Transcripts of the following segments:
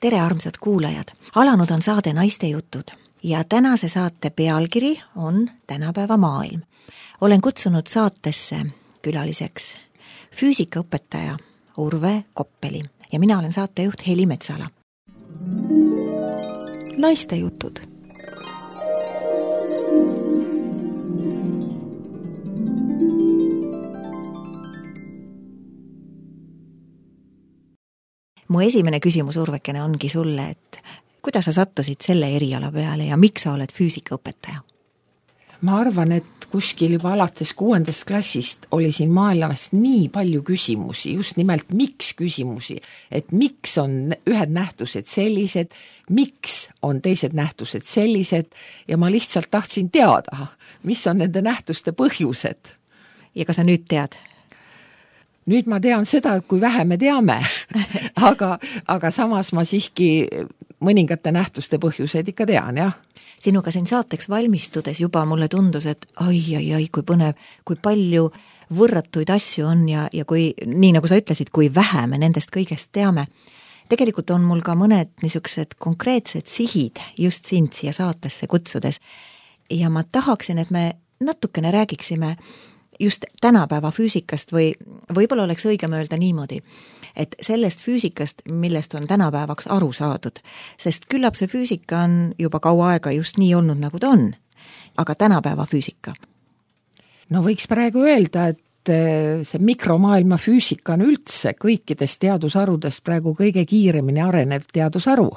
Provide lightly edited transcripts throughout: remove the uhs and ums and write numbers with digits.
Tere, armsad kuulajad! Alanud on saade Naiste jutud ja tänase saate pealkiri on Tänapäeva maailm. Olen kutsunud saatesse külaliseks füüsikaõpetaja Urve Koppeli ja mina olen saatejuht Heli Metsala. Naiste jutud. Mu esimene küsimus, Urvekene, ongi sulle, et kuidas sa sattusid selle eriala peale ja miks sa oled füüsikaõpetaja? Ma arvan, et kuskil juba alates 6. klassist oli siin maailmas nii palju küsimusi, just nimelt miks küsimusi, et miks on ühed nähtused sellised, miks on teised nähtused sellised ja ma lihtsalt tahtsin teada, mis on nende nähtuste põhjused. Ja kas sa nüüd tead? Nüüd ma tean seda, kui vähe me teame, aga samas ma siiski mõningate nähtuste põhjuseid ikka tean, jah. Sinuga siin saateks valmistudes juba mulle tundus, et ai, kui põnev, kui palju võrratuid asju on ja kui, nii nagu sa ütlesid, kui vähe me nendest kõigest teame. Tegelikult on mul ka mõned niisugused konkreetsed sihid just sind siia saatesse kutsudes ja ma tahaksin, et me natukene räägiksime just tänapäeva füüsikast või võib-olla oleks õigem öelda niimoodi, et sellest füüsikast, millest on tänapäevaks aru saadud, sest küllap see füüsika on juba kaua aega just nii olnud, nagu ta on, aga tänapäeva füüsika. No võiks praegu öelda, et see mikromaailma füüsika on üldse kõikidest teadusharudest praegu kõige kiiremini arenev teadusharu.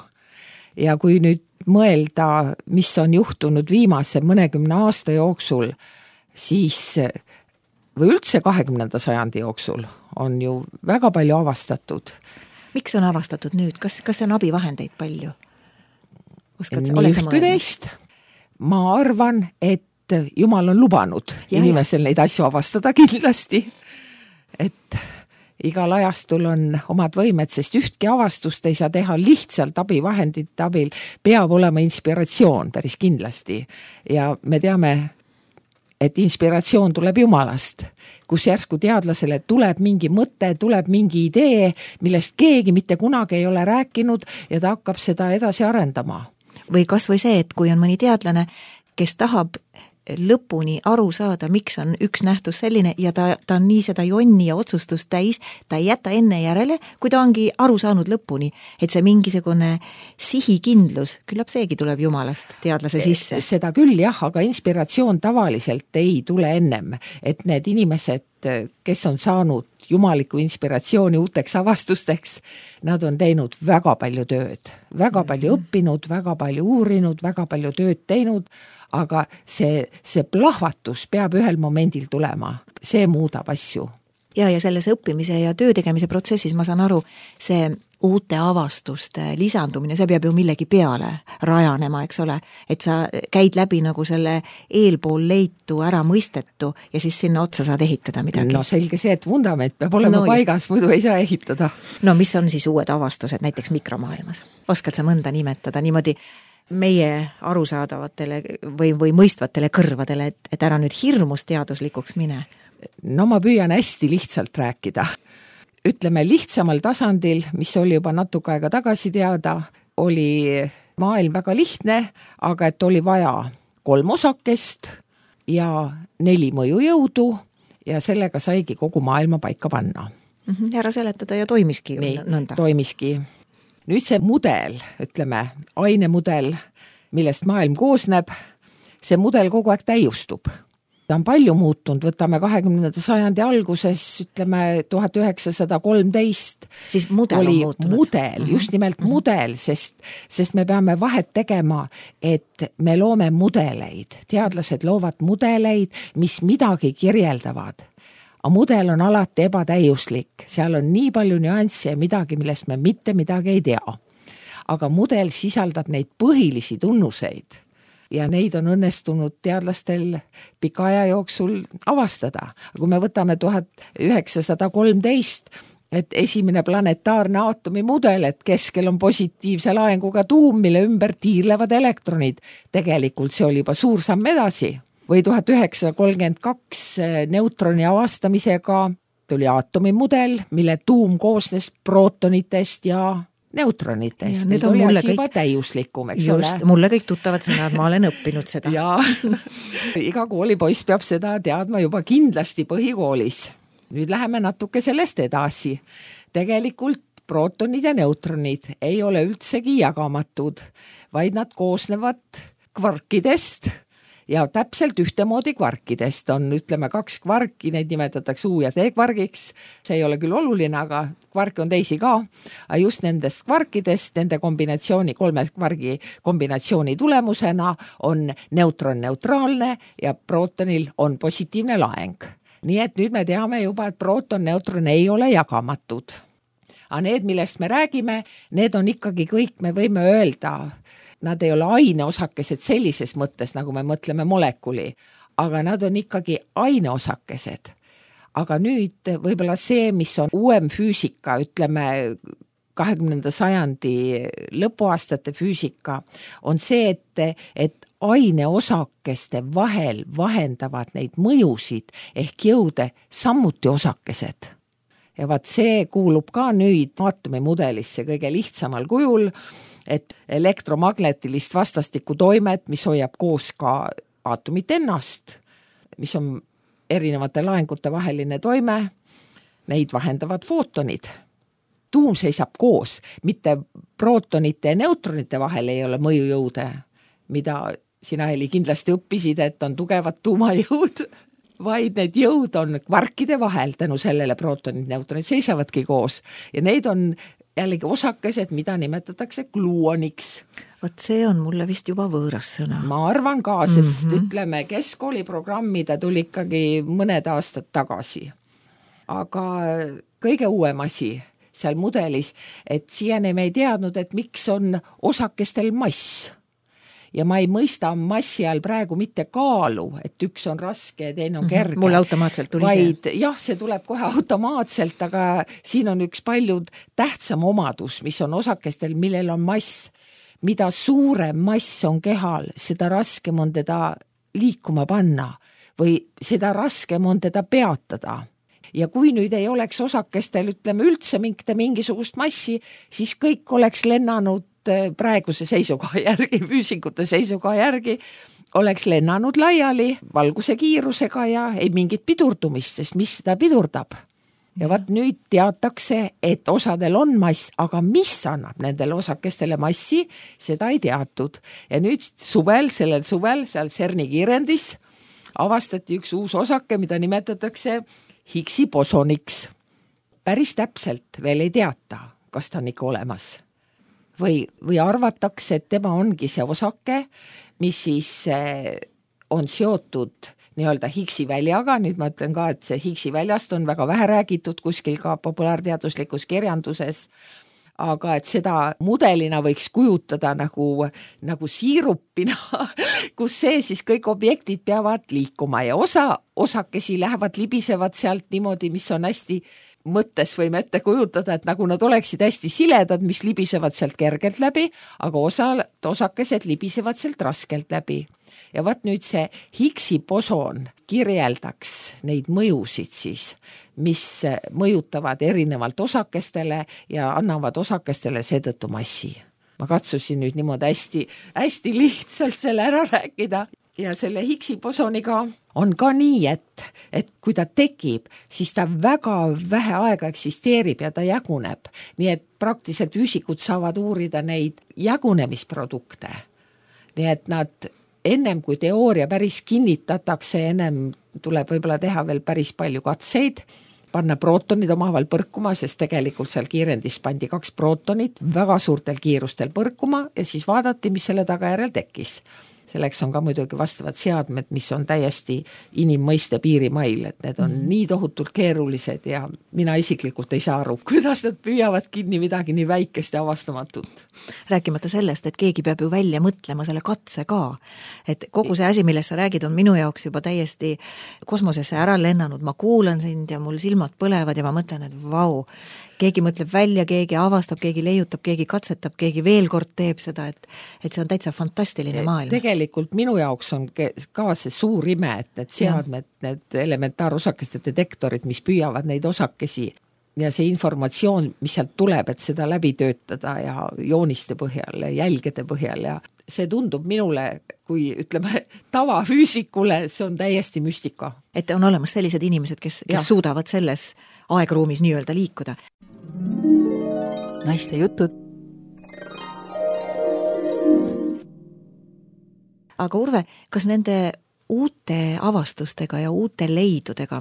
Ja kui nüüd mõelda, mis on juhtunud viimase mõnekümne aasta jooksul, siis või üldse 20. sajandi jooksul on ju väga palju avastatud. Miks on avastatud nüüd? Kas on abivahendeid palju? Nii ühtki teist. Ma arvan, et Jumal on lubanud inimesel neid asju avastada kindlasti. Et igal ajastul on omad võimed, sest ühtki avastust ei saa teha lihtsalt abivahendite abil. Peab olema inspiratsioon päris kindlasti. Ja me teame, et inspiratsioon tuleb Jumalast, kus järsku teadlasele tuleb mingi mõte, tuleb mingi idee, millest keegi mitte kunagi ei ole rääkinud ja ta hakkab seda edasi arendama. Või kas või see, et kui on mõni teadlane, kes tahab lõpuni aru saada, miks on üks nähtus selline ja ta on nii seda jonni ja otsustust täis, ta ei jäta enne järele, kui ta ongi aru saanud lõpuni, et see mingisugune sihikindlus, küllap seegi tuleb Jumalast teadlase sisse. Seda küll jah, aga inspiratsioon tavaliselt ei tule ennem, et need inimesed, kes on saanud jumaliku inspiratsiooni uuteks avastusteks, nad on teinud väga palju tööd, väga palju õppinud, väga palju uurinud, väga palju tööd teinud, aga see plahvatus peab ühel momendil tulema. See muudab asju. Ja selles õppimise ja töö tegemise protsessis ma saan aru, see uute avastuste lisandumine, see peab ju millegi peale rajanema, eks ole, et sa käid läbi nagu selle eelpool leitu ära mõistetu ja siis sinna otsa saad ehitada midagi. No selge see, et vundament peab olema paigas, muidu ei saa ehitada. No mis on siis uued avastused näiteks mikromaailmas? Oskad sa mõnda nimetada niimoodi meie arusaadavatele või mõistvatele kõrvadele, et ära nüüd hirmus teaduslikuks mine? No ma püüan hästi lihtsalt rääkida. Ütleme lihtsamal tasandil, mis oli juba natuke aega tagasi teada, oli maailm väga lihtne, aga et oli vaja 3 osakest ja 4 mõjujõudu ja sellega saigi kogu maailma paika panna. Ära seletada ja toimiski nõnda. Toimiski. Nüüd see mudel, ütleme, ainemudel, millest maailm koosneb, see mudel kogu aeg täiustub. Ta on palju muutunud, võtame 20. sajandi alguses, ütleme 1913. Siis mudel on muutunud. Mudel, just nimelt mudel, sest me peame vahet tegema, et me loome mudeleid. Teadlased loovad mudeleid, mis midagi kirjeldavad. Aga mudel on alati ebatäiuslik. Seal on nii palju nüansse ja midagi, millest me mitte midagi ei tea. Aga mudel sisaldab neid põhilisi tunnuseid ja neid on õnnestunud teadlastel pika aja jooksul avastada. Kui me võtame 1913, et esimene planetaarne aatomimudel, et keskel on positiivse laenguga tuum, mille ümber tiirlevad elektronid. Tegelikult see oli juba suur samm edasi. Või 1932 neutroni avastamisega tuli aatomimudel, mille tuum koosnes prootonitest ja neutronitest. Need oli asi juba täiuslikum, eks ole. Just, mulle kõik tuttavad sõnad, ma olen õppinud seda. Ja iga koolipoiss peab seda teadma juba kindlasti põhikoolis. Nüüd läheme natuke sellest edasi. Tegelikult prootonid ja neutronid ei ole üldsegi jagamatud, vaid nad koosnevad kvarkidest ja täpselt ühtemoodi kvarkidest on, ütleme, 2 kvarki, neid nimetatakse U- ja T-kvargiks. See ei ole küll oluline, aga kvarke on teisi ka. Aga just nendest kvarkidest, nende kombinatsiooni, 3 kvargi kombinatsiooni tulemusena on neutron neutraalne ja prootonil on positiivne laeng. Nii et nüüd me teame juba, et prooton, neutron ei ole jagamatud. Aga need, millest me räägime, need on ikkagi kõik, me võime öelda, nad ei ole aineosakesed sellises mõttes, nagu me mõtleme molekuli, aga nad on ikkagi aineosakesed. Aga nüüd võib-olla see, mis on uuem füüsika, ütleme 20. sajandi lõpuaastate füüsika, on see, et aineosakeste vahel vahendavad neid mõjusid ehk jõude samuti osakesed. Ja vaat see kuulub ka nüüd aatomimudelisse kõige lihtsamal kujul, et elektromagnetilist vastastikku toimet, mis hoiab koos ka aatomit ennast, mis on erinevate laengute vaheline toime, neid vahendavad footonid. Tuum seisab koos, mitte prootonite ja neutronite vahel ei ole mõjujõude, mida sina, Heli, kindlasti õppisid, et on tugevad tuumajõud, vaid need jõud on kvarkide vahel, tänu sellele prootonid, neutronid seisavadki koos ja neid on jällegi osakesed, mida nimetatakse gluoniks. Vot see on mulle vist juba võõras sõna. Ma arvan ka, sest ütleme, keskkooliprogrammi ta tuli ikkagi mõned aastad tagasi. Aga kõige uuem asi seal mudelis, et siiani me ei teadnud, et miks on osakestel mass. Ja ma ei mõista massi all praegu mitte kaalu, et üks on raske ja teine on kerge. Mulle automaatselt tuli vaid, see. Jah, see tuleb kohe automaatselt, aga siin on üks palju tähtsam omadus, mis on osakestel, millel on mass. Mida suurem mass on kehal, seda raskem on teda liikuma panna või seda raskem on teda peatada. Ja kui nüüd ei oleks osakestel, ütleme, üldse mingisugust massi, siis kõik oleks lennanud praeguse seisukoha järgi, füüsikute seisukoha järgi, oleks lennanud laiali valguse kiirusega ja ei mingit pidurdumist, sest mis seda pidurdab. Ja vaat nüüd teatakse, et osadel on mass, aga mis annab nendele osakestele massi, seda ei teatud. Ja nüüd sellel suvel, seal CERN-i kiirendis avastati üks uus osake, mida nimetatakse Higgsi bosoniks. Päris täpselt veel ei teata, kas ta on ikka olemas. Või arvatakse, et tema ongi see osake, mis siis on seotud nii-öelda Higgsi väljaga. Nüüd ma ütlen ka, et see Higgsi väljast on väga vähe räägitud kuskil ka populaarteaduslikus kirjanduses, aga et seda mudelina võiks kujutada nagu siirupina, kus see siis kõik objektid peavad liikuma ja osakesi lähevad, libisevad sealt niimoodi, mis on hästi mõttes võime ette kujutada, et nagu nad oleksid hästi siledad, mis libisevad sealt kergelt läbi, aga osakesed libisevad sealt raskelt läbi. Ja vaat nüüd see Higgsi boson kirjeldaks neid mõjusid siis, mis mõjutavad erinevalt osakestele ja annavad osakestele seetõttu massi. Ma katsusin nüüd niimoodi hästi lihtsalt selle ära rääkida. Ja selle Higgsi bosoniga on ka nii, et kui ta tekib, siis ta väga vähe aega eksisteerib ja ta jaguneb. Nii et praktiliselt füüsikud saavad uurida neid jagunemisprodukte. Nii et nad ennem kui teooria päris kinnitatakse, ennem tuleb võib-olla teha veel päris palju katseid, panna prootonid omavahel põrkuma, sest tegelikult seal kiirendis pandi 2 prootonit väga suurtel kiirustel põrkuma ja siis vaadati, mis selle tagajärjel tekkis. Selleks on ka muidugi vastavad seadmed, mis on täiesti inimmõiste piirimail, et need on nii tohutult keerulised ja mina isiklikult ei saa aru, kuidas nad püüavad kinni midagi nii väikest ja avastamatut. Rääkimata sellest, et keegi peab ju välja mõtlema selle katse ka. Et kogu see asi, millest sa räägid, on minu jaoks juba täiesti kosmosesse ära lennanud. Ma kuulan sind ja mul silmad põlevad ja ma mõtlen, et vau, keegi mõtleb välja, keegi avastab, keegi leiutab, keegi katsetab, keegi veel kord teeb seda, et see on täitsa fantastiline maailm. Tegelikult minu jaoks on ka see suur ime, et need seadmed, need elementaarosakeste detektorid, mis püüavad neid osakesi, ja see informatsioon, mis sealt tuleb, et seda läbi töötada ja jooniste põhjal, jälgede põhjal ja see tundub minule, kui ütleme tavafüüsikule, see on täiesti müstika. Et on olemas sellised inimesed, kes suudavad selles aegruumis nii-öelda liikuda. Naiste jutud. Aga Urve, kas nende uute avastustega ja uute leidudega,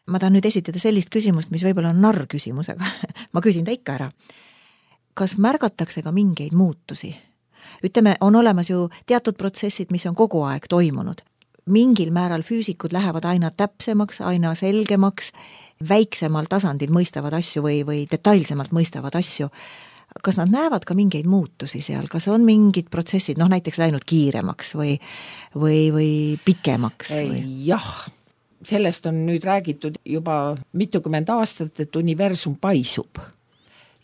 ma tahan nüüd esitada sellist küsimust, mis võib-olla on narr küsimusega, ma küsin ta ikka ära. Kas märgatakse ka mingeid muutusi? Ütleme, on olemas ju teatud protsessid, mis on kogu aeg toimunud. Mingil määral füüsikud lähevad aina täpsemaks, aina selgemaks, väiksemal tasandil mõistavad asju või detailsemalt mõistavad asju. Kas nad näevad ka mingeid muutusi seal? Kas on mingid protsessid, näiteks läinud kiiremaks või pikemaks? Jah, sellest on nüüd räägitud juba mitukümmend aastat, et universum paisub.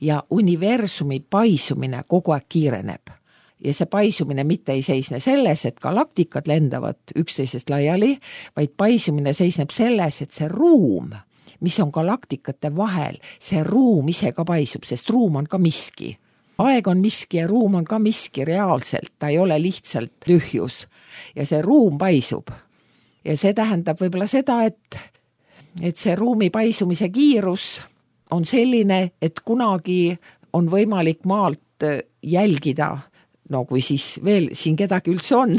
Ja universumi paisumine kogu aeg kiireneb. Ja see paisumine mitte ei seisne selles, et galaktikad lendavad üksteisest laiali, vaid paisumine seisneb selles, et see ruum, mis on galaktikate vahel, see ruum ise ka paisub, sest ruum on ka miski. Aeg on miski ja ruum on ka miski reaalselt, ta ei ole lihtsalt tühjus. Ja see ruum paisub. Ja see tähendab võib-olla seda, et see ruumi paisumise kiirus on selline, et kunagi on võimalik maalt jälgida, kui siis veel siin kedagi üldse on,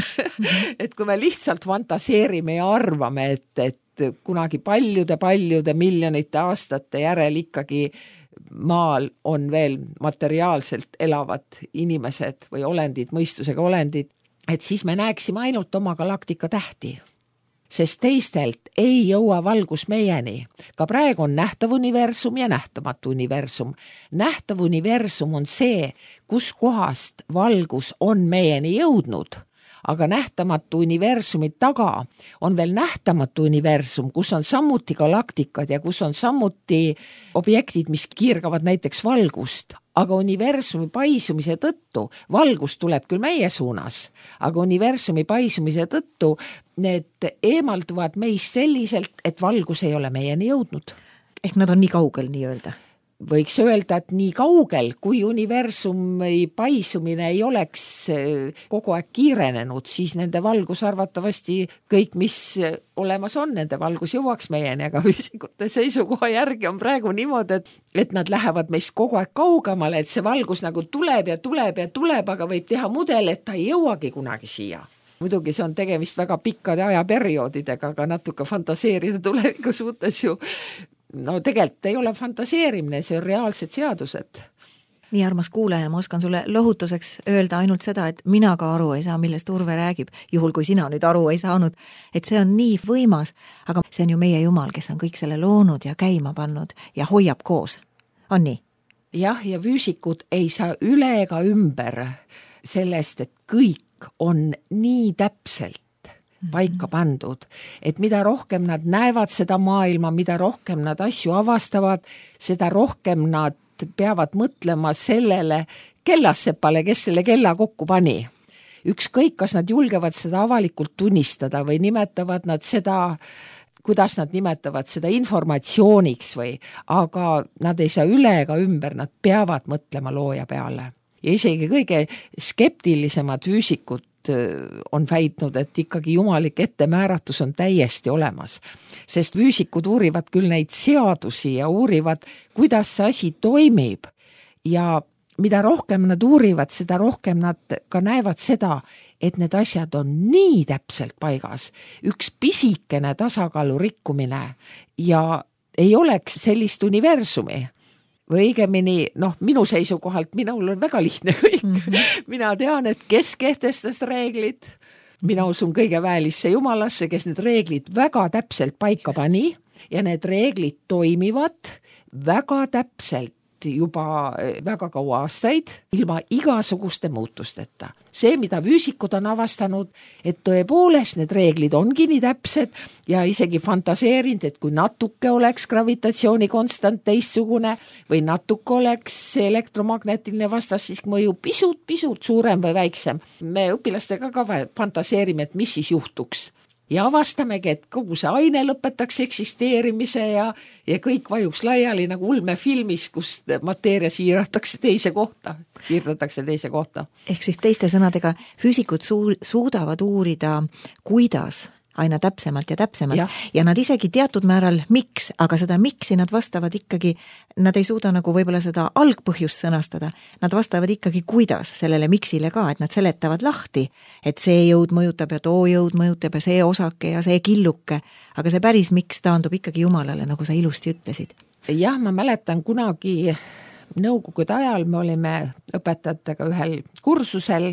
et kui me lihtsalt fantaseerime ja arvame, et kunagi paljude miljonite aastate järel ikkagi maal on veel materiaalselt elavad inimesed või olendid, mõistusega olendid, et siis me näeksime ainult oma galaktika tähti. Sest teistelt ei jõua valgus meieni. Ka praegu on nähtav universum ja nähtamatu universum. Nähtav universum on see, kus kohast valgus on meieni jõudnud. Aga nähtamatu universumi taga on veel nähtamatu universum, kus on samuti galaktikad ja kus on samuti objektid, mis kiirgavad näiteks valgust. Aga universumi paisumise tõttu, valgus tuleb küll meie suunas, aga universumi paisumise tõttu need eemalduvad meist selliselt, et valgus ei ole meieni jõudnud. Ehk nad on nii kaugel nii-öelda? Võiks öelda, et nii kaugel, kui universumi paisumine ei oleks kogu aeg kiirenenud, siis nende valgus arvatavasti kõik, mis olemas on, nende valgus jõuaks meieni, aga füüsikute seisukoha järgi on praegu niimoodi, et nad lähevad meist kogu aeg kaugemale, et see valgus nagu tuleb ja tuleb ja tuleb, aga võib teha mudel, et ta ei jõuagi kunagi siia. Muidugi see on tegemist väga pikkade ajaperioodidega, aga natuke fantaseerida tuleviku suhtes ju tegelikult ei ole fantaseerimine, see on reaalsed seadused. Nii armas kuulaja, ma oskan sulle lohutuseks öelda ainult seda, et mina ka aru ei saa, millest Urve räägib, juhul kui sina nüüd aru ei saanud, et see on nii võimas, aga see on ju meie Jumal, kes on kõik selle loonud ja käima pannud ja hoiab koos. On nii? Jah, ja füüsikud ei saa üle ega ümber sellest, et kõik on nii täpselt paika pandud, et mida rohkem nad näevad seda maailma, mida rohkem nad asju avastavad, seda rohkem nad peavad mõtlema sellele kellassepale, kes selle kella kokku pani. Ükskõik, kas nad julgevad seda avalikult tunnistada või nimetavad nad seda, kuidas nad nimetavad seda informatsiooniks aga nad ei saa üle ega ümber, nad peavad mõtlema looja peale. Ja isegi kõige skeptilisemad füüsikud on väitnud, et ikkagi jumalik ettemääratus on täiesti olemas. Sest füüsikud uurivad küll neid seadusi ja uurivad, kuidas see asi toimib. Ja mida rohkem nad uurivad, seda rohkem nad ka näevad seda, et need asjad on nii täpselt paigas. Üks pisikene tasakaalu rikkumine ja ei oleks sellist universumi. Või õigemini, minu seisukohalt, minul on väga lihtne kõik. Mina tean, et kes kehtestas reeglid, mina usun kõige väelisse Jumalasse, kes need reeglid väga täpselt paika pani ja need reeglid toimivad väga täpselt juba väga kaua aastaid ilma igasuguste muutusteta. See, mida füüsikud on avastanud, et tõepoolest need reeglid ongi nii täpsed ja isegi fantaseerinud, et kui natuke oleks gravitatsiooni konstant teistsugune või natuke oleks elektromagnetiline vastastisk mõju pisut suurem või väiksem. Me õpilastega ka fantaseerime, et mis siis juhtuks. ja avastamegi, et kogu see aine lõpetaks eksisteerimise ja kõik vajuks laiali nagu ulmefilmis, kus mateeria siirdatakse teise kohta. Ehk siis teiste sõnadega, füüsikud suudavad uurida, kuidas aina täpsemalt ja nad isegi teatud määral miks, aga seda miksi nad vastavad ikkagi, nad ei suuda nagu võib-olla seda algpõhjust sõnastada, nad vastavad ikkagi kuidas sellele miksile ka, et nad seletavad lahti, et see jõud mõjutab ja too jõud mõjutab ja see osake ja see killuke, aga see päris miks taandub ikkagi Jumalale, nagu sa ilusti ütlesid. Jah, ma mäletan kunagi nõukogude ajal me olime õpetajatega ühel kursusel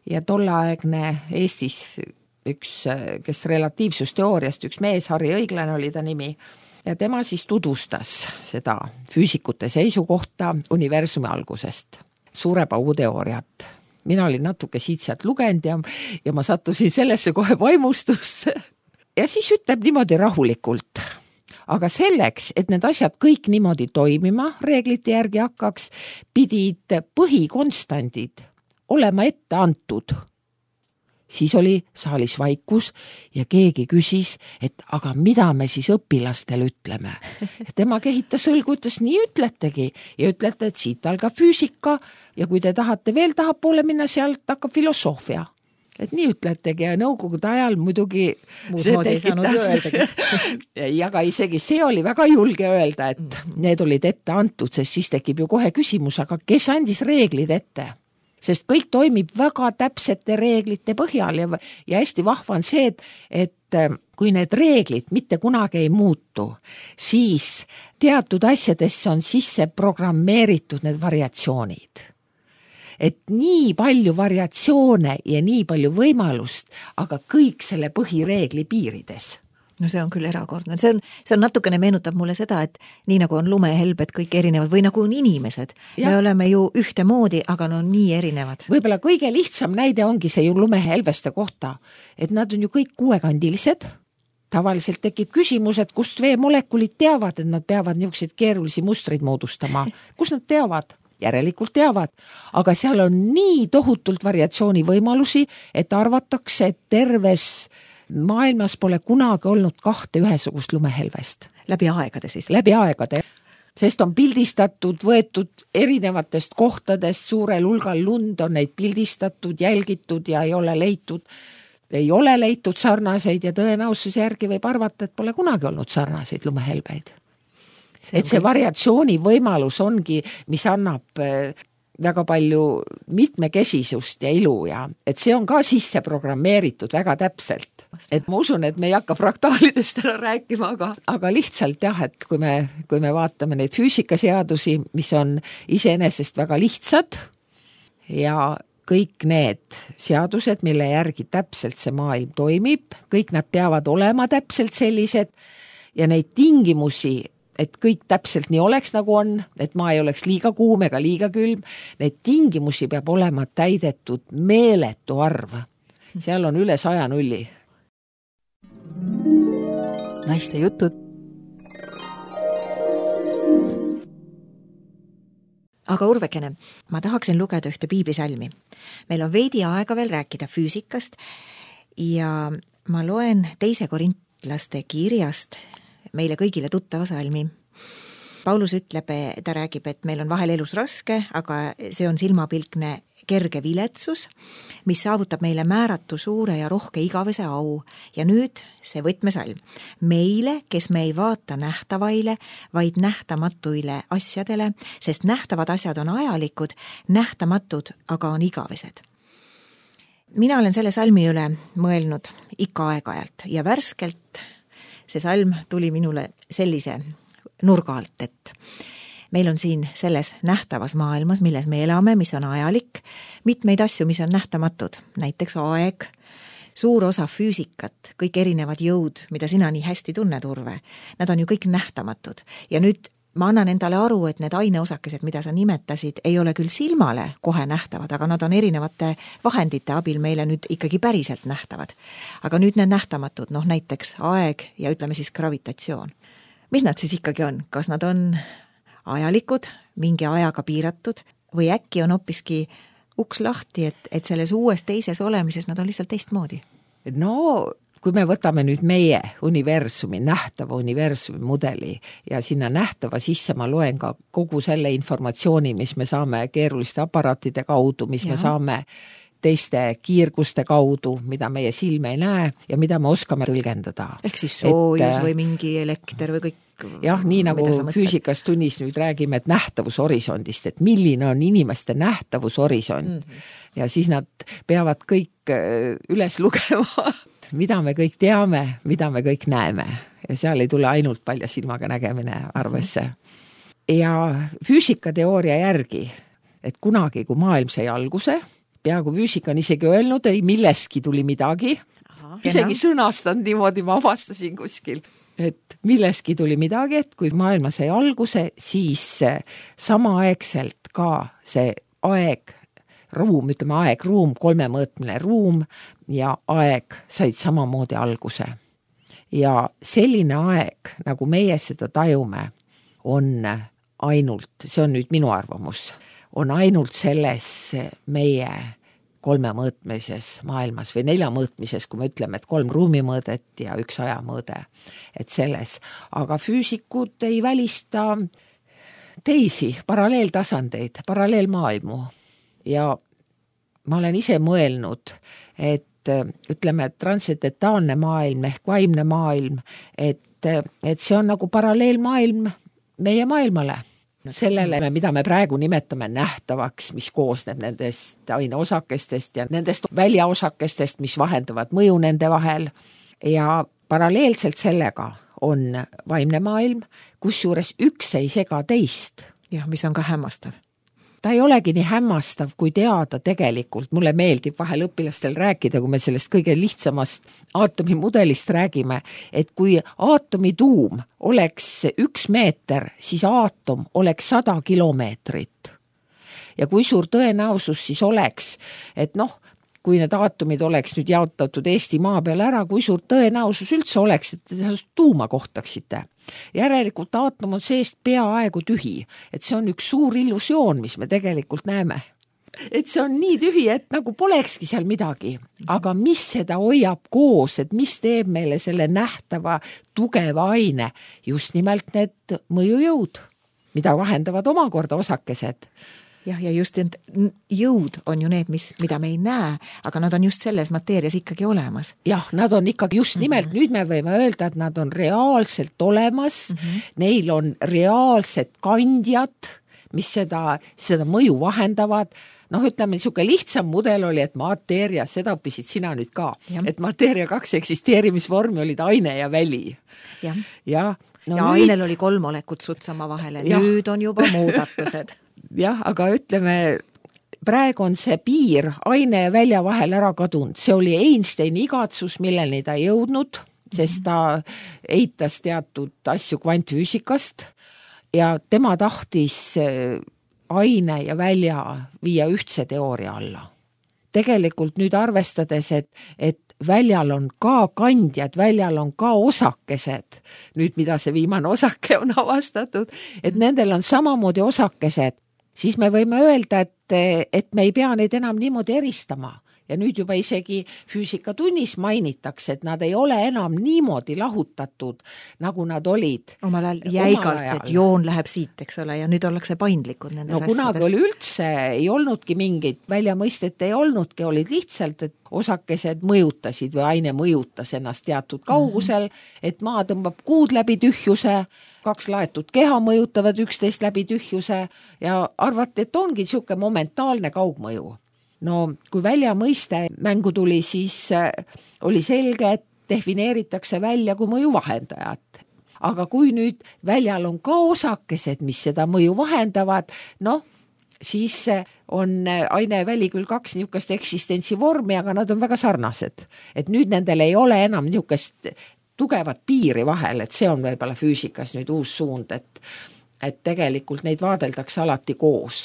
ja tollaegne Eestis üks, kes relatiivsusteooriast, üks mees, Harri Õiglane oli ta nimi, ja tema siis tutvustas seda füüsikute seisukohta universumi algusest, suure paugu teooriat. Mina olin natuke siit-sealt lugenud ja ma sattusin sellesse kohe vaimustusse. Ja siis ütleb niimoodi rahulikult, aga selleks, et need asjad kõik niimoodi toimima reeglite järgi hakkaks, pidid põhikonstandid olema ette antud. Siis oli saalis vaikus ja keegi küsis, et aga mida me siis õpilastele ütleme. Tema kehitas õlgu, ütles, nii ütletegi ja ütlete, et siit algab füüsika ja kui te tahate veel tahapoole minna, sealt hakkab filosoofia. Et nii ütletegi ja nõukogude ajal muidugi ja ka isegi see oli väga julge öelda, et need olid ette antud, sest siis tekib ju kohe küsimus, aga kes andis reeglid ette? Sest kõik toimib väga täpsete reeglite põhjal ja hästi vahva on see, et kui need reeglid mitte kunagi ei muutu, siis teatud asjadesse on sisse programmeeritud need variatsioonid. Et nii palju variatsioone ja nii palju võimalust, aga kõik selle põhireegli piirides. No see on küll erakordne. See on natukene meenutab mulle seda, et nii nagu on lumehelbed kõik erinevad või nagu on inimesed. Ja. Me oleme ju ühtemoodi, aga no nii erinevad. Võib-olla kõige lihtsam näide ongi see ju lumehelveste kohta, et nad on ju kõik kuuekandilised. Tavaliselt tekib küsimus, et kust veemolekulid teavad, et nad peavad niisuguseid keerulisi mustreid moodustama. Kus nad teavad? Järelikult teavad. Aga seal on nii tohutult variatsiooni võimalusi, et arvatakse, et terves maailmas pole kunagi olnud kahte ühesugust lumehelvest. Läbi aegade siis? Läbi aegade. Sest on pildistatud, võetud erinevatest kohtadest, suurel hulgal lund on neid pildistatud, jälgitud ja ei ole leitud sarnaseid ja tõenäosuse järgi võib arvata, et pole kunagi olnud sarnaseid lumehelbeid. Et see variatsiooni võimalus ongi, mis annab väga palju mitmekesisust ja ilu ja et see on ka sisse programmeeritud väga täpselt. Et ma usun, et me ei hakka fraktaalidest ära rääkima, aga lihtsalt jah, et kui me vaatame neid füüsikaseadusi, mis on iseenesest väga lihtsad ja kõik need seadused, mille järgi täpselt see maailm toimib, kõik nad peavad olema täpselt sellised ja neid tingimusi, et kõik täpselt nii oleks nagu on, et maa ei oleks liiga kuum ega liiga külm, neid tingimusi peab olema täidetud meeletu arv. Seal on üle 100 nulli. Naiste jutud. Aga Urvekene, ma tahaksin lugeda ühte piiblisalmi. Meil on veidi aega veel rääkida füüsikast ja ma loen 2 korintlaste kirjast meile kõigile tuttava salmi. Paulus ütleb, ta räägib, et meil on vahel elus raske, aga see on silmapilkne kerge viletsus, mis saavutab meile määratu suure ja rohke igavese au. Ja nüüd see võtmesalm. Meile, kes me ei vaata nähtavaile, vaid nähtamatuile asjadele, sest nähtavad asjad on ajalikud, nähtamatud aga on igavesed. Mina olen selle salmi üle mõelnud ikka aeg-ajalt ja värskelt see salm tuli minule sellise nurga alt, et meil on siin selles nähtavas maailmas, milles me elame, mis on ajalik, mitmeid asju, mis on nähtamatud, näiteks aeg, suur osa füüsikat, kõik erinevad jõud, mida sina nii hästi tunned, Urve, nad on ju kõik nähtamatud ja nüüd ma annan endale aru, et need aineosakesed, mida sa nimetasid, ei ole küll silmale kohe nähtavad, aga nad on erinevate vahendite abil meile nüüd ikkagi päriselt nähtavad. Aga nüüd need nähtamatud, näiteks aeg ja ütleme siis gravitatsioon. Mis nad siis ikkagi on? Kas nad on ajalikud, mingi ajaga piiratud või äkki on hoopiski uks lahti, et selles uues teises olemises nad on lihtsalt teistmoodi? No, kui me võtame nüüd meie universumi, nähtava universumi mudeli ja sinna nähtava sisse ma loen ka kogu selle informatsiooni, mis me saame keeruliste aparaatide kaudu, mis me saame teiste kiirguste kaudu, mida meie silm ei näe ja mida me oskame tõlgendada. Ehk siis soojus või mingi elekter või kõik. Jah, nii nagu füüsikas tunnis nüüd räägime, et nähtavushorisondist, et milline on inimeste nähtavushorisont ja siis nad peavad kõik üles lugema, mida me kõik teame, mida me kõik näeme ja seal ei tule ainult palja silmaga nägemine arvesse. Ja füüsikateooria järgi, et kunagi, kui maailm sai alguse, peaaegu füüsika on isegi öelnud, ei millestki tuli midagi, isegi sõnastanud niimoodi, ma avastasin kuskil, et millestki tuli midagi, et kui maailma sai alguse, siis samaaegselt ka see aeg, ruum, ütleme aeg-ruum, kolmemõõtmine ruum ja aeg said samamoodi alguse. Ja selline aeg, nagu meie seda tajume, on ainult, see on nüüd minu arvamus, on ainult selles meie kolmemõõtmises maailmas või neljamõõtmises, kui me ütleme, et 3 ruumimõõdet ja 1 ajamõõde, et selles. Aga füüsikud ei välista teisi paralleeltasandeid, paralleelmaailmu ja ma olen ise mõelnud, et ütleme, transcendentaalne maailm ehk vaimne maailm, et see on nagu paralleelmaailm meie maailmale. Sellele, mida me praegu nimetame nähtavaks, mis koosneb nendest aineosakestest ja nendest väljaosakestest, mis vahendavad mõju nende vahel. Ja paralleelselt sellega on vaimne maailm, kusjuures üks ei sega teist. Jah, mis on ka hämmastav. Ta ei olegi nii hämmastav, kui teada tegelikult. Mulle meeldib vahel õpilastel rääkida, kui me sellest kõige lihtsamast aatomimudelist räägime, et kui aatomituum oleks 1 meeter, siis aatom oleks 100 kilomeetrit. Ja kui suur tõenäosus siis oleks, et kui need aatomid oleks nüüd jaotatud Eesti maa peal ära, kui suur tõenäosus üldse oleks, et te tuuma kohtaksite. Järelikult aatom on seest peaaegu tühi, et see on üks suur illusioon, mis me tegelikult näeme. Et see on nii tühi, et nagu polekski seal midagi, aga mis seda hoiab koos, et mis teeb meile selle nähtava tugeva aine, just nimelt need mõjujõud, mida vahendavad omakorda osakesed. Jah, ja just jõud on ju need, mida me ei näe, aga nad on just selles mateerias ikkagi olemas. Jah, nad on ikkagi just nimelt, nüüd me võime öelda, et nad on reaalselt olemas, neil on reaalsed kandjad, mis seda mõju vahendavad. Ütleme, niisugune lihtsam mudel oli, et mateeria, seda õppisid sina nüüd ka, et mateeria 2 eksisteerimisvormi olid aine ja väli. Ja ainel oli 3 molekut sutsama vahele, nüüd on juba muudatused. Jah, aga ütleme, praegu on see piir aine ja välja vahel ära kadunud. See oli Einsteini igatsus, milleni ta ei jõudnud, sest ta eitas teatud asju kvantfüüsikast ja tema tahtis aine ja välja viia ühtse teooria alla. Tegelikult nüüd arvestades, et väljal on ka kandjad, väljal on ka osakesed, nüüd mida see viimane osake on avastatud, et nendel on samamoodi osakesed, siis me võime öelda, et me ei pea neid enam niimoodi eristama. Ja nüüd juba isegi füüsikatunnis mainitakse, et nad ei ole enam niimoodi lahutatud, nagu nad olid. Omal ajal jäigalt, et joon läheb siit, eks ole, ja nüüd ollakse paindlikud nendes asjades. Kunagi oli üldse, ei olnudki mingit väljamõistet, ei olnudki, olid lihtsalt, et osakesed mõjutasid või aine mõjutas ennast teatud kaugusel, et maa tõmbab kuud läbi tühjuse, 2 laetud keha mõjutavad 11 läbi tühjuse ja arvati, et ongi niisugune momentaalne kaugmõju. Kui väljamõiste mängu tuli, siis oli selge, et defineeritakse välja kui mõju vahendajat. Aga kui nüüd väljal on ka osakesed, mis seda mõju vahendavad, siis on aine ja väli küll 2 niisugust eksistentsivormi, aga nad on väga sarnased. Et nüüd nendel ei ole enam niisugust tugevat piiri vahel, et see on võib-olla füüsikas nüüd uus suund, et tegelikult neid vaadeldakse alati koos.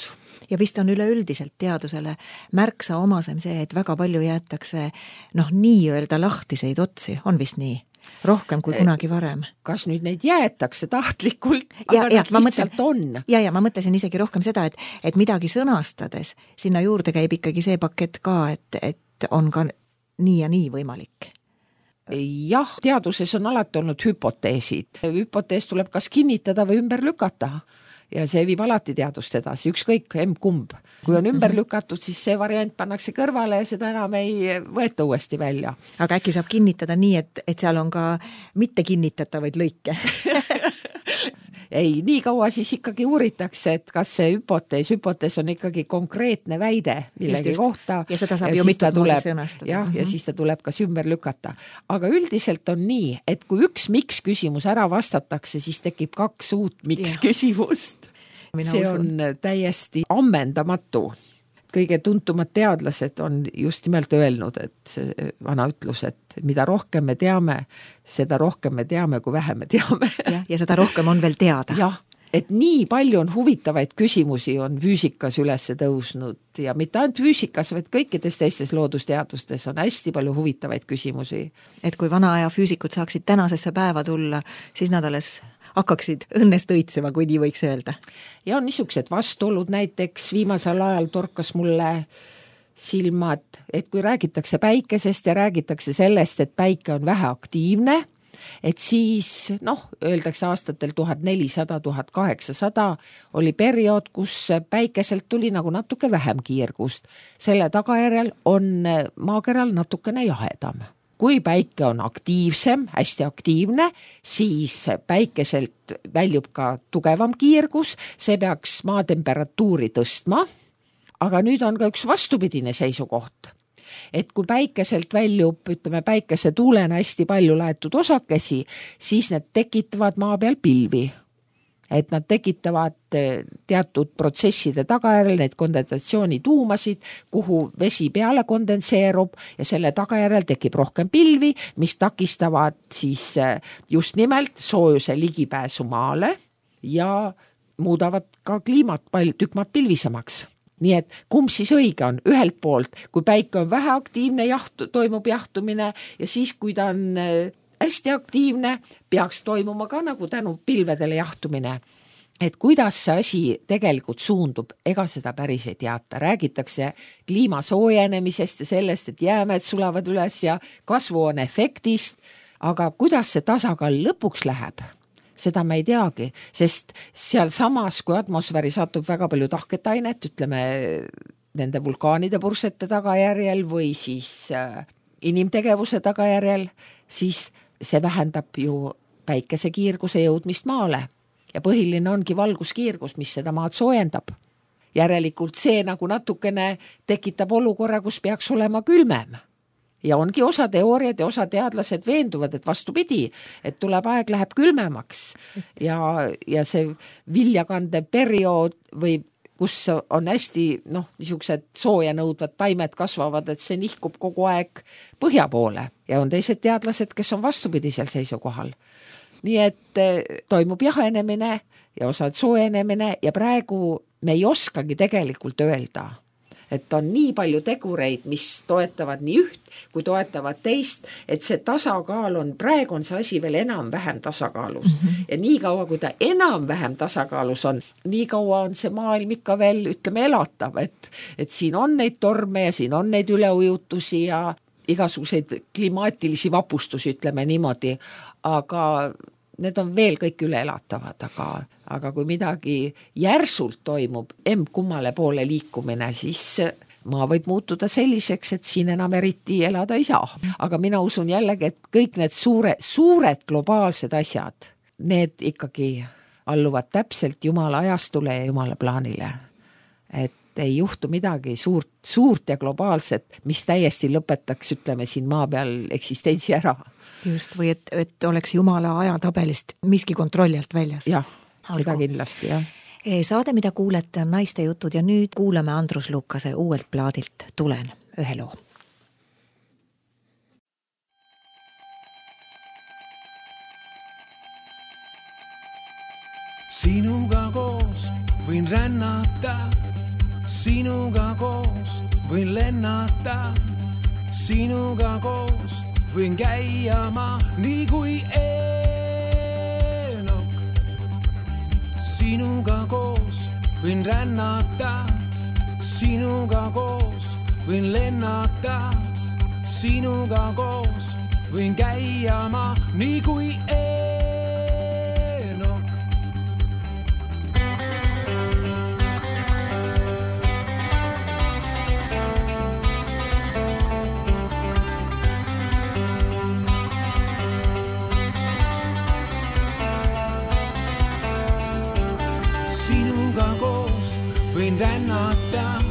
Ja vist on üleüldiselt teadusele märksa omasem see, et väga palju jäetakse nii-öelda lahtiseid otsi, on vist nii? Rohkem kui kunagi varem. Kas nüüd neid jäetakse tahtlikult, aga nad lihtsalt on? Ja ma mõtlesin isegi rohkem seda, et midagi sõnastades, sinna juurde käib ikkagi see pakett ka, et on ka nii ja nii võimalik. Jah, teaduses on alati olnud hüpoteesid. Hüpotees tuleb kas kinnitada või ümber lükata. Ja see viib alati teadust edasi, ükskõik kumb. Kui on ümber lükatud, siis see variant pannakse kõrvale ja seda enam ei võeta uuesti välja. Aga äkki saab kinnitada nii, et seal on ka mitte kinnitatavaid lõike? Ei, nii kaua siis ikkagi uuritakse, et kas see hüpotees on ikkagi konkreetne väide millegi kohta. Ja seda saab ju mitut moodi sõnastada. Ja siis ta tuleb kas ümber lükata. Aga üldiselt on nii, et kui üks miks küsimus ära vastatakse, siis tekib 2 uut miks küsimust. See on täiesti ammendamatu. Kõige tuntumad teadlased on just nimelt öelnud, et see vana ütlus, et mida rohkem me teame, seda rohkem me teame, kui vähe me teame. Ja seda rohkem on veel teada. Jah, et nii palju on huvitavaid küsimusi on füüsikas üles tõusnud ja mitte ainult füüsikas, vaid kõikides teistes loodusteadustes on hästi palju huvitavaid küsimusi. Et kui vana aja füüsikud saaksid tänasesse päeva tulla, siis nad alles hakkaksid õnnest õitsema, kui nii võiks öelda. Ja on niisugused vastuolud, näiteks viimasel ajal torkas mulle silmad, et kui räägitakse päikesest ja räägitakse sellest, et päike on väheaktiivne, et siis, öeldakse aastatel 1400-1800 oli periood, kus päikeselt tuli nagu natuke vähem kiirgust. Selle tagajärjel on maakeral natukene jahedam. Kui päike on aktiivsem, hästi aktiivne, siis päikeselt väljub ka tugevam kiirgus, see peaks maa temperatuuri tõstma, aga nüüd on ka üks vastupidine seisukoht. Et kui päikeselt väljub, päikese tuulena hästi palju laetud osakesi, siis need tekitavad maa peal pilvi. Et nad tekitavad teatud protsesside tagajärjel neid kondensatsioonituumasid, kuhu vesi peale kondenseerub ja selle tagajärjel tekib rohkem pilvi, mis takistavad siis just nimelt soojuse ligipääsu maale ja muudavad ka kliimat tükk maad pilvisemaks. Nii et kumb siis õige on? Ühelt poolt, kui päike on väheaktiivne, toimub jahtumine ja siis, kui ta on hästi aktiivne, peaks toimuma ka nagu tänu pilvedele jahtumine. Et kuidas see asi tegelikult suundub, ega seda päris ei teata. Räägitakse kliima soojenemisest ja sellest, et jäämed sulavad üles ja kasvuhooneefektist, aga kuidas see tasakaal lõpuks läheb, seda me ei teagi, sest seal samas, kui atmosfääri satub väga palju tahket ainet, nende vulkaanide pursete tagajärjel või siis inimtegevuse tagajärjel, siis see vähendab ju päikese kiirguse jõudmist maale ja põhiline ongi valguskiirgus, mis seda maad soojendab. Järelikult see nagu natukene tekitab olukorra, kus peaks olema külmem. Ja ongi osa teooriad ja osa teadlased veenduvad, et vastupidi, et tuleb aeg läheb külmemaks ja see viljakande periood või kus on hästi niisugused sooja nõudvad taimed kasvavad, et see nihkub kogu aeg põhja poole ja on teised teadlased, kes on vastupidisel seisukohal. Nii et toimub jahenemine ja osad soojenemine ja praegu me ei oskagi tegelikult öelda, et on nii palju tegureid, mis toetavad nii üht, kui toetavad teist, et see tasakaal on, praegu on see asi veel enam-vähem tasakaalus. Ja nii kaua, kui ta enam-vähem tasakaalus on, nii kaua on see maailm ikka veel, elatav, et siin on neid torme ja siin on neid üleujutusi ja igasuguseid klimaatilisi vapustusi, niimoodi, aga need on veel kõik üleelatavad, aga kui midagi järsult toimub, kummale poole liikumine, siis maa võib muutuda selliseks, et siin enam eriti elada ei saa. Aga mina usun jällegi, et kõik need suured globaalsed asjad, need ikkagi alluvad täpselt Jumala ajastule ja Jumala plaanile. Et ei juhtu midagi suurt ja globaalset, mis täiesti lõpetaks, siin maa peal eksistentsi ära. Just, või et oleks Jumala ajatabelist miski kontrolli alt väljas. Jah, seda kindlasti, jah. Saade, mida kuulete, on Naiste jutud ja nüüd kuulame Andrus Lukase uuelt plaadilt Tulen ühe loo. Sinuga koos võin rännata, sinuga koos võin lennata, sinuga koos võin käia ma nii kui Eenok. Sinuga koos võin rännata, sinuga koos võin lennata, sinuga koos võin käia ma nii kui Eenok. Sinuga koos võin rännata,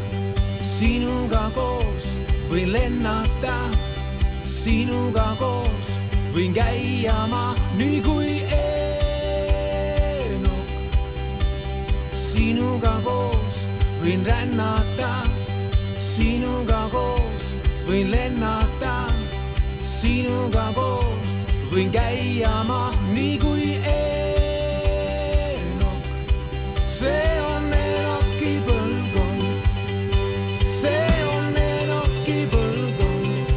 sinuga koos võin lennata, sinuga koos võin käia ma nii kui Eenok. Sinuga koos võin rännata, sinuga koos võin lennata, sinuga koos võin käia ma nii kui Eenok. See on Enoki põlvkond, see on Enoki põlvkond,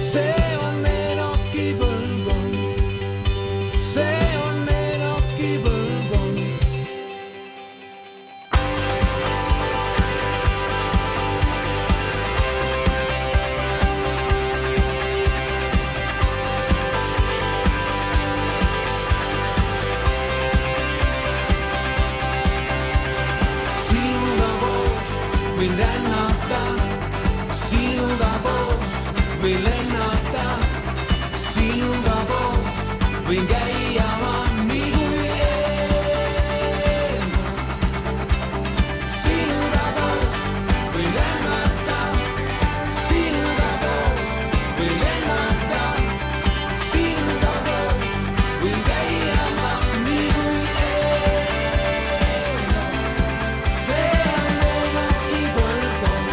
see on Enoki põlvkond, see on Enoki põlvkond. Sinuga koos võin rännata, sinuga koos võin lennata, sinuga koos võin käia ma nii kui Eenok. Sinuga koos võin rännata, sinuga koos võin lennata, sinuga koos võin käia ma nii kui Eenok. See on Enoki põlvkond,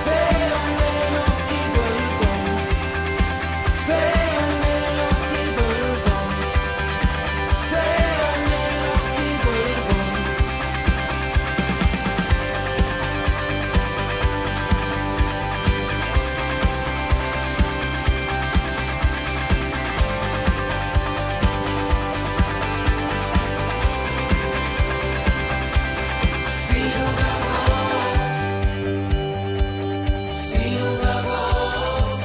see on Enoki põlvkond, see on Enoki põlvkond, see on Enoki põlvkond. Sinuga koos, sinuga koos,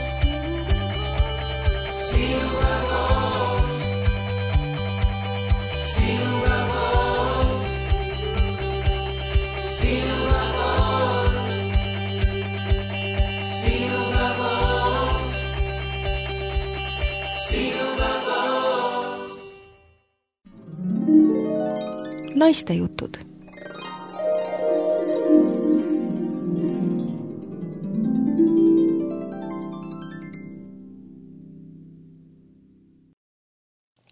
sinuga koos, sinuga koos, sinuga koos, sinuga koos, sinuga koos. Naistejutud.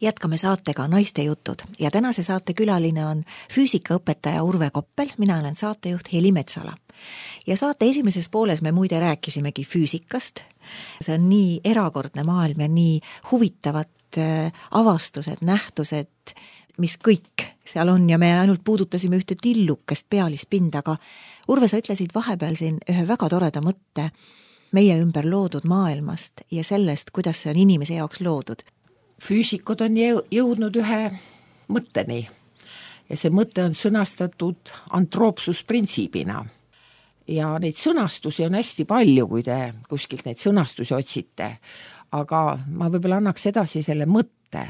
Jätkame saatega Naistejutud ja tänase saate külaline on füüsikaõpetaja Urve Koppel, mina olen saatejuht Heli Metsala. Ja saate esimeses pooles me muide rääkisimegi füüsikast. See on nii erakordne maailm ja nii huvitavad avastused, nähtused, mis kõik seal on ja me ainult puudutasime ühte tillukest pealispinda, aga Urve, sa ütlesid vahepeal siin ühe väga toreda mõtte meie ümber loodud maailmast ja sellest, kuidas see on inimese jaoks loodud. Füüsikud on jõudnud ühe mõtteni ja see mõte on sõnastatud antroopsusprintsiibina. Ja neid sõnastusi on hästi palju, kui te kuskilt neid sõnastusi otsite, aga ma võib-olla annaks edasi selle mõtte,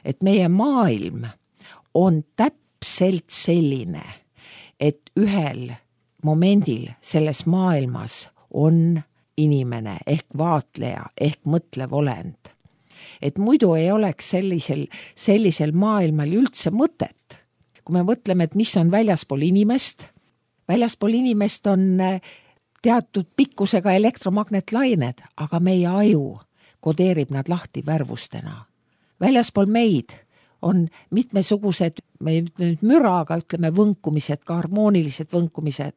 et meie maailm on täpselt selline, et ühel momendil selles maailmas on inimene ehk vaatleja ehk mõtlev olend. Et muidu ei oleks sellisel maailmal üldse mõtet. Kui me mõtleme, et mis on väljaspool inimest on teatud pikkusega elektromagnetlained, aga meie aju kodeerib nad lahti värvustena. Väljaspool meid on mitmesugused, me ei ütle nüüd müra, aga ütleme võnkumised, ka harmoonilised võnkumised,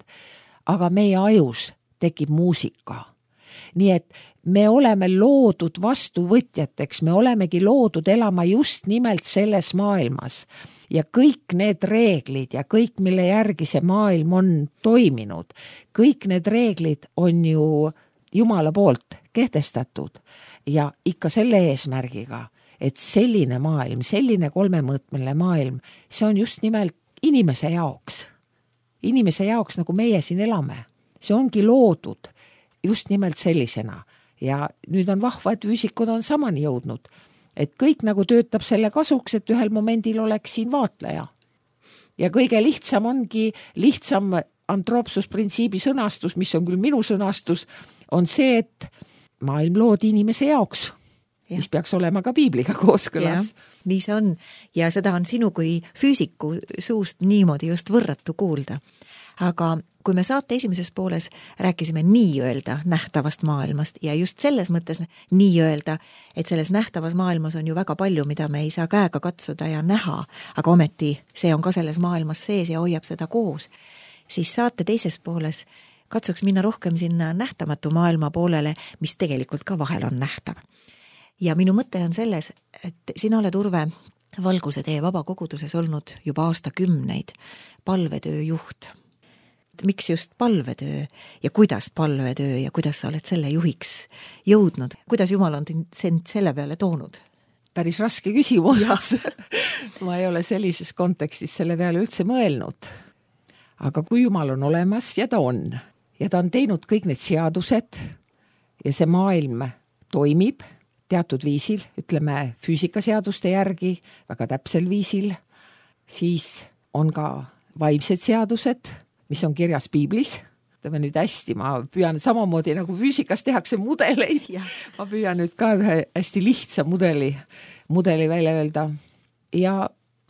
aga meie ajus tekib muusika. Nii et me oleme loodud vastuvõtjateks, me olemegi loodud elama just nimelt selles maailmas ja kõik need reeglid ja kõik, mille järgi see maailm on toiminud, kõik need reeglid on ju Jumala poolt kehtestatud ja ikka selle eesmärgiga, et selline maailm, selline kolmemõõtmeline maailm, see on just nimelt inimese jaoks, nagu meie siin elame. See ongi loodud just nimelt sellisena Ja nüüd on vahva, et füüsikud on samani jõudnud. Et kõik nagu töötab selle kasuks, et ühel momendil oleks siin vaatleja. Ja kõige lihtsam ongi, lihtsam antroopsusprintsiibi sõnastus, mis on küll minu sõnastus, on see, et maailm loodi inimese jaoks, mis peaks olema ka piibliga kooskõlas. Nii see on ja seda on sinu kui füüsiku suust niimoodi just võrratu kuulda. Aga kui me saate esimeses pooles rääkisime nii-öelda nähtavast maailmast ja just selles mõttes nii-öelda, et selles nähtavas maailmas on ju väga palju, mida me ei saa käega katsuda ja näha, aga ometi see on ka selles maailmas sees ja hoiab seda koos, siis saate teises pooles katsuks minna rohkem sinna nähtamatu maailma poolele, mis tegelikult ka vahel on nähtav. Ja minu mõte on selles, et sina oled, Urve, Valguse tee vabakoguduses olnud juba aastakümneid palvetöö juht. Miks just palvetöö ja kuidas palvetöö ja kuidas sa oled selle juhiks jõudnud? Kuidas Jumal on sind selle peale toonud? Päris raske küsimus. Ma ei ole sellises kontekstis selle peale üldse mõelnud. Aga kui Jumal on olemas ja ta on teinud kõik need seadused ja see maailm toimib teatud viisil, ütleme füüsikaseaduste järgi, väga täpsel viisil, siis on ka vaimsed seadused, mis on kirjas piiblis. Ütleme nüüd hästi, ma püüan samamoodi nagu füüsikas tehakse mudeleid. Ma püüan nüüd ka ühe hästi lihtsa mudeli välja öelda. Ja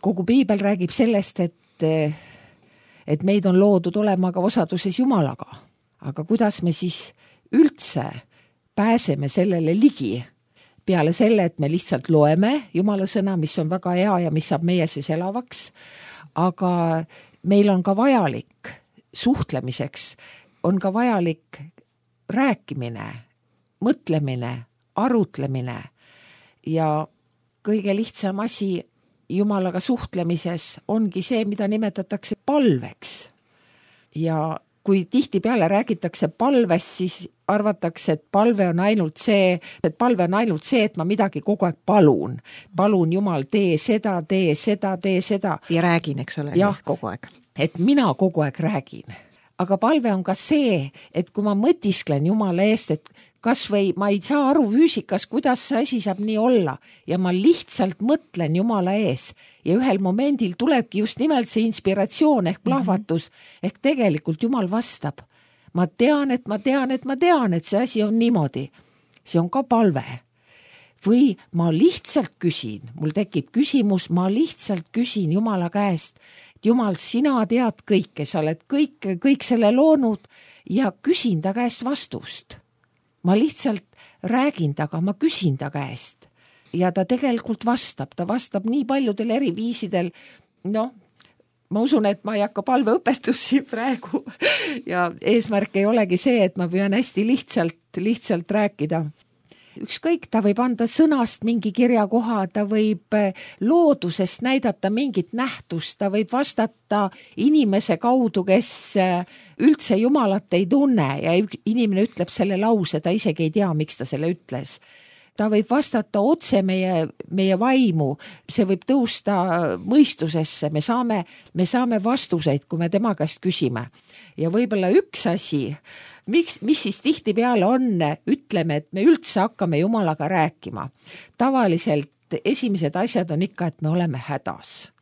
kogu piibel räägib sellest, et meid on loodud olema ka osaduses Jumalaga. Aga kuidas me siis üldse pääseme sellele ligi? Peale selle, et me lihtsalt loeme Jumala sõna, mis on väga hea ja mis saab meie siis elavaks. Aga meil on ka vajalik suhtlemiseks, on ka vajalik rääkimine, mõtlemine, arutlemine ja kõige lihtsam asi Jumalaga suhtlemises ongi see, mida nimetatakse palveks. Ja kui tihtipeale räägitakse palvest, siis arvatakse, et palve on ainult see, et ma midagi kogu aeg palun. Palun Jumal, tee seda. Ja räägin, eks ole, kogu aeg. Et mina kogu aeg räägin. Aga palve on ka see, et kui ma mõtisklen Jumala eest, et kas või ma ei saa aru füüsikas, kuidas see asi saab nii olla ja ma lihtsalt mõtlen Jumala ees ja ühel momendil tulebki just nimelt see inspiratsioon ehk plahvatus, ehk tegelikult Jumal vastab. Ma tean, et see asi on niimoodi. See on ka palve. Või ma lihtsalt küsin, mul tekib küsimus, ma lihtsalt küsin Jumala käest, Jumal, sina tead kõike, sa oled kõik selle loonud ja küsin ta käest vastust. Ma lihtsalt räägin taga, ma küsin ta käest. Ja ta tegelikult vastab, ta vastab nii paljudel eri viisidel. Ma usun, et ma ei hakka palveõpetusi praegu ja eesmärk ei olegi see, et ma püüan hästi lihtsalt rääkida. Ükskõik, ta võib anda sõnast mingi kirjakoha, ta võib loodusest näidata mingit nähtust, ta võib vastata inimese kaudu, kes üldse Jumalat ei tunne ja inimene ütleb selle lause, ta isegi ei tea, miks ta selle ütles. Ta võib vastata otse meie vaimu, see võib tõusta mõistusesse, me saame vastuseid, kui me tema käest küsime. Ja võib-olla üks asi, mis siis tihtipeale on, ütleme, et me üldse hakkame Jumalaga rääkima. Tavaliselt esimesed asjad on ikka, et me oleme hädas.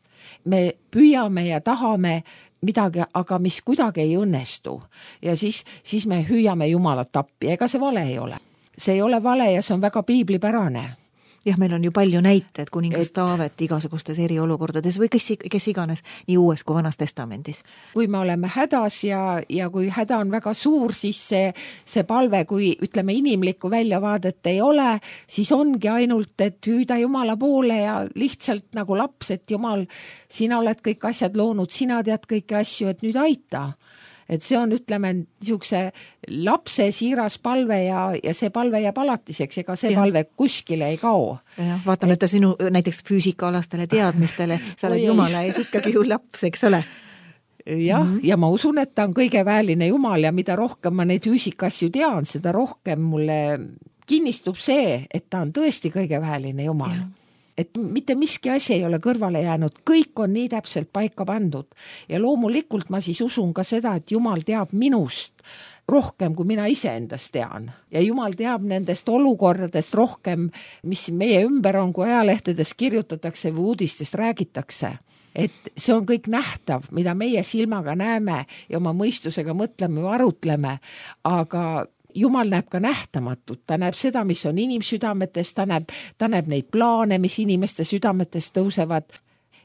Me püüame ja tahame midagi, aga mis kuidagi ei õnnestu. Ja siis me hüüame Jumalat appi, ega see vale ei ole. See ei ole vale ja see on väga piiblipärane. Jah, meil on ju palju näiteid kuningas Taavet igasugustes eriolukordades või kes iganes, nii uues kui vanas testamendis. Kui me oleme hädas ja kui häda on väga suur, siis see palve, kui ütleme inimlikku väljavaadet ei ole, siis ongi ainult, et hüüda Jumala poole ja lihtsalt nagu laps, et Jumal, sina oled kõik asjad loonud, sina tead kõiki asju, et nüüd aita. Et see on, ütleme, niisuguse lapse siiras palve ja see palve jääb alatiseks, ega see palve kuskile ei kao. Vaatamata sinu näiteks füüsikaalastele teadmistele, sa oled Jumala ees ikkagi ju laps, eks ole? Ja ma usun, et ta on kõige väeline Jumal ja mida rohkem ma neid füüsikasju tean, seda rohkem mulle kinnistub see, et ta on tõesti kõige väeline Jumal. Ja. Et mitte miski asi ei ole kõrvale jäänud, kõik on nii täpselt paika pandud ja loomulikult ma siis usun ka seda, et Jumal teab minust rohkem, kui mina iseendast tean ja Jumal teab nendest olukordadest rohkem, mis meie ümber on, kui ajalehtedes kirjutatakse või uudistest räägitakse. Et see on kõik nähtav, mida meie silmaga näeme ja oma mõistusega mõtleme või arutleme, aga Jumal näeb ka nähtamatut, ta näeb seda, mis on inimsüdametes, ta näeb neid plaane, mis inimeste südametes tõusevad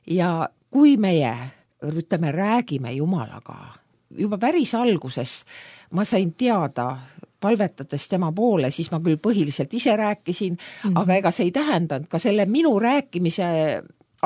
ja kui meie, ütleme, räägime Jumalaga, juba päris alguses ma sain teada, palvetades tema poole, siis ma küll põhiliselt ise rääkisin, aga ega see ei tähendanud ka selle minu rääkimise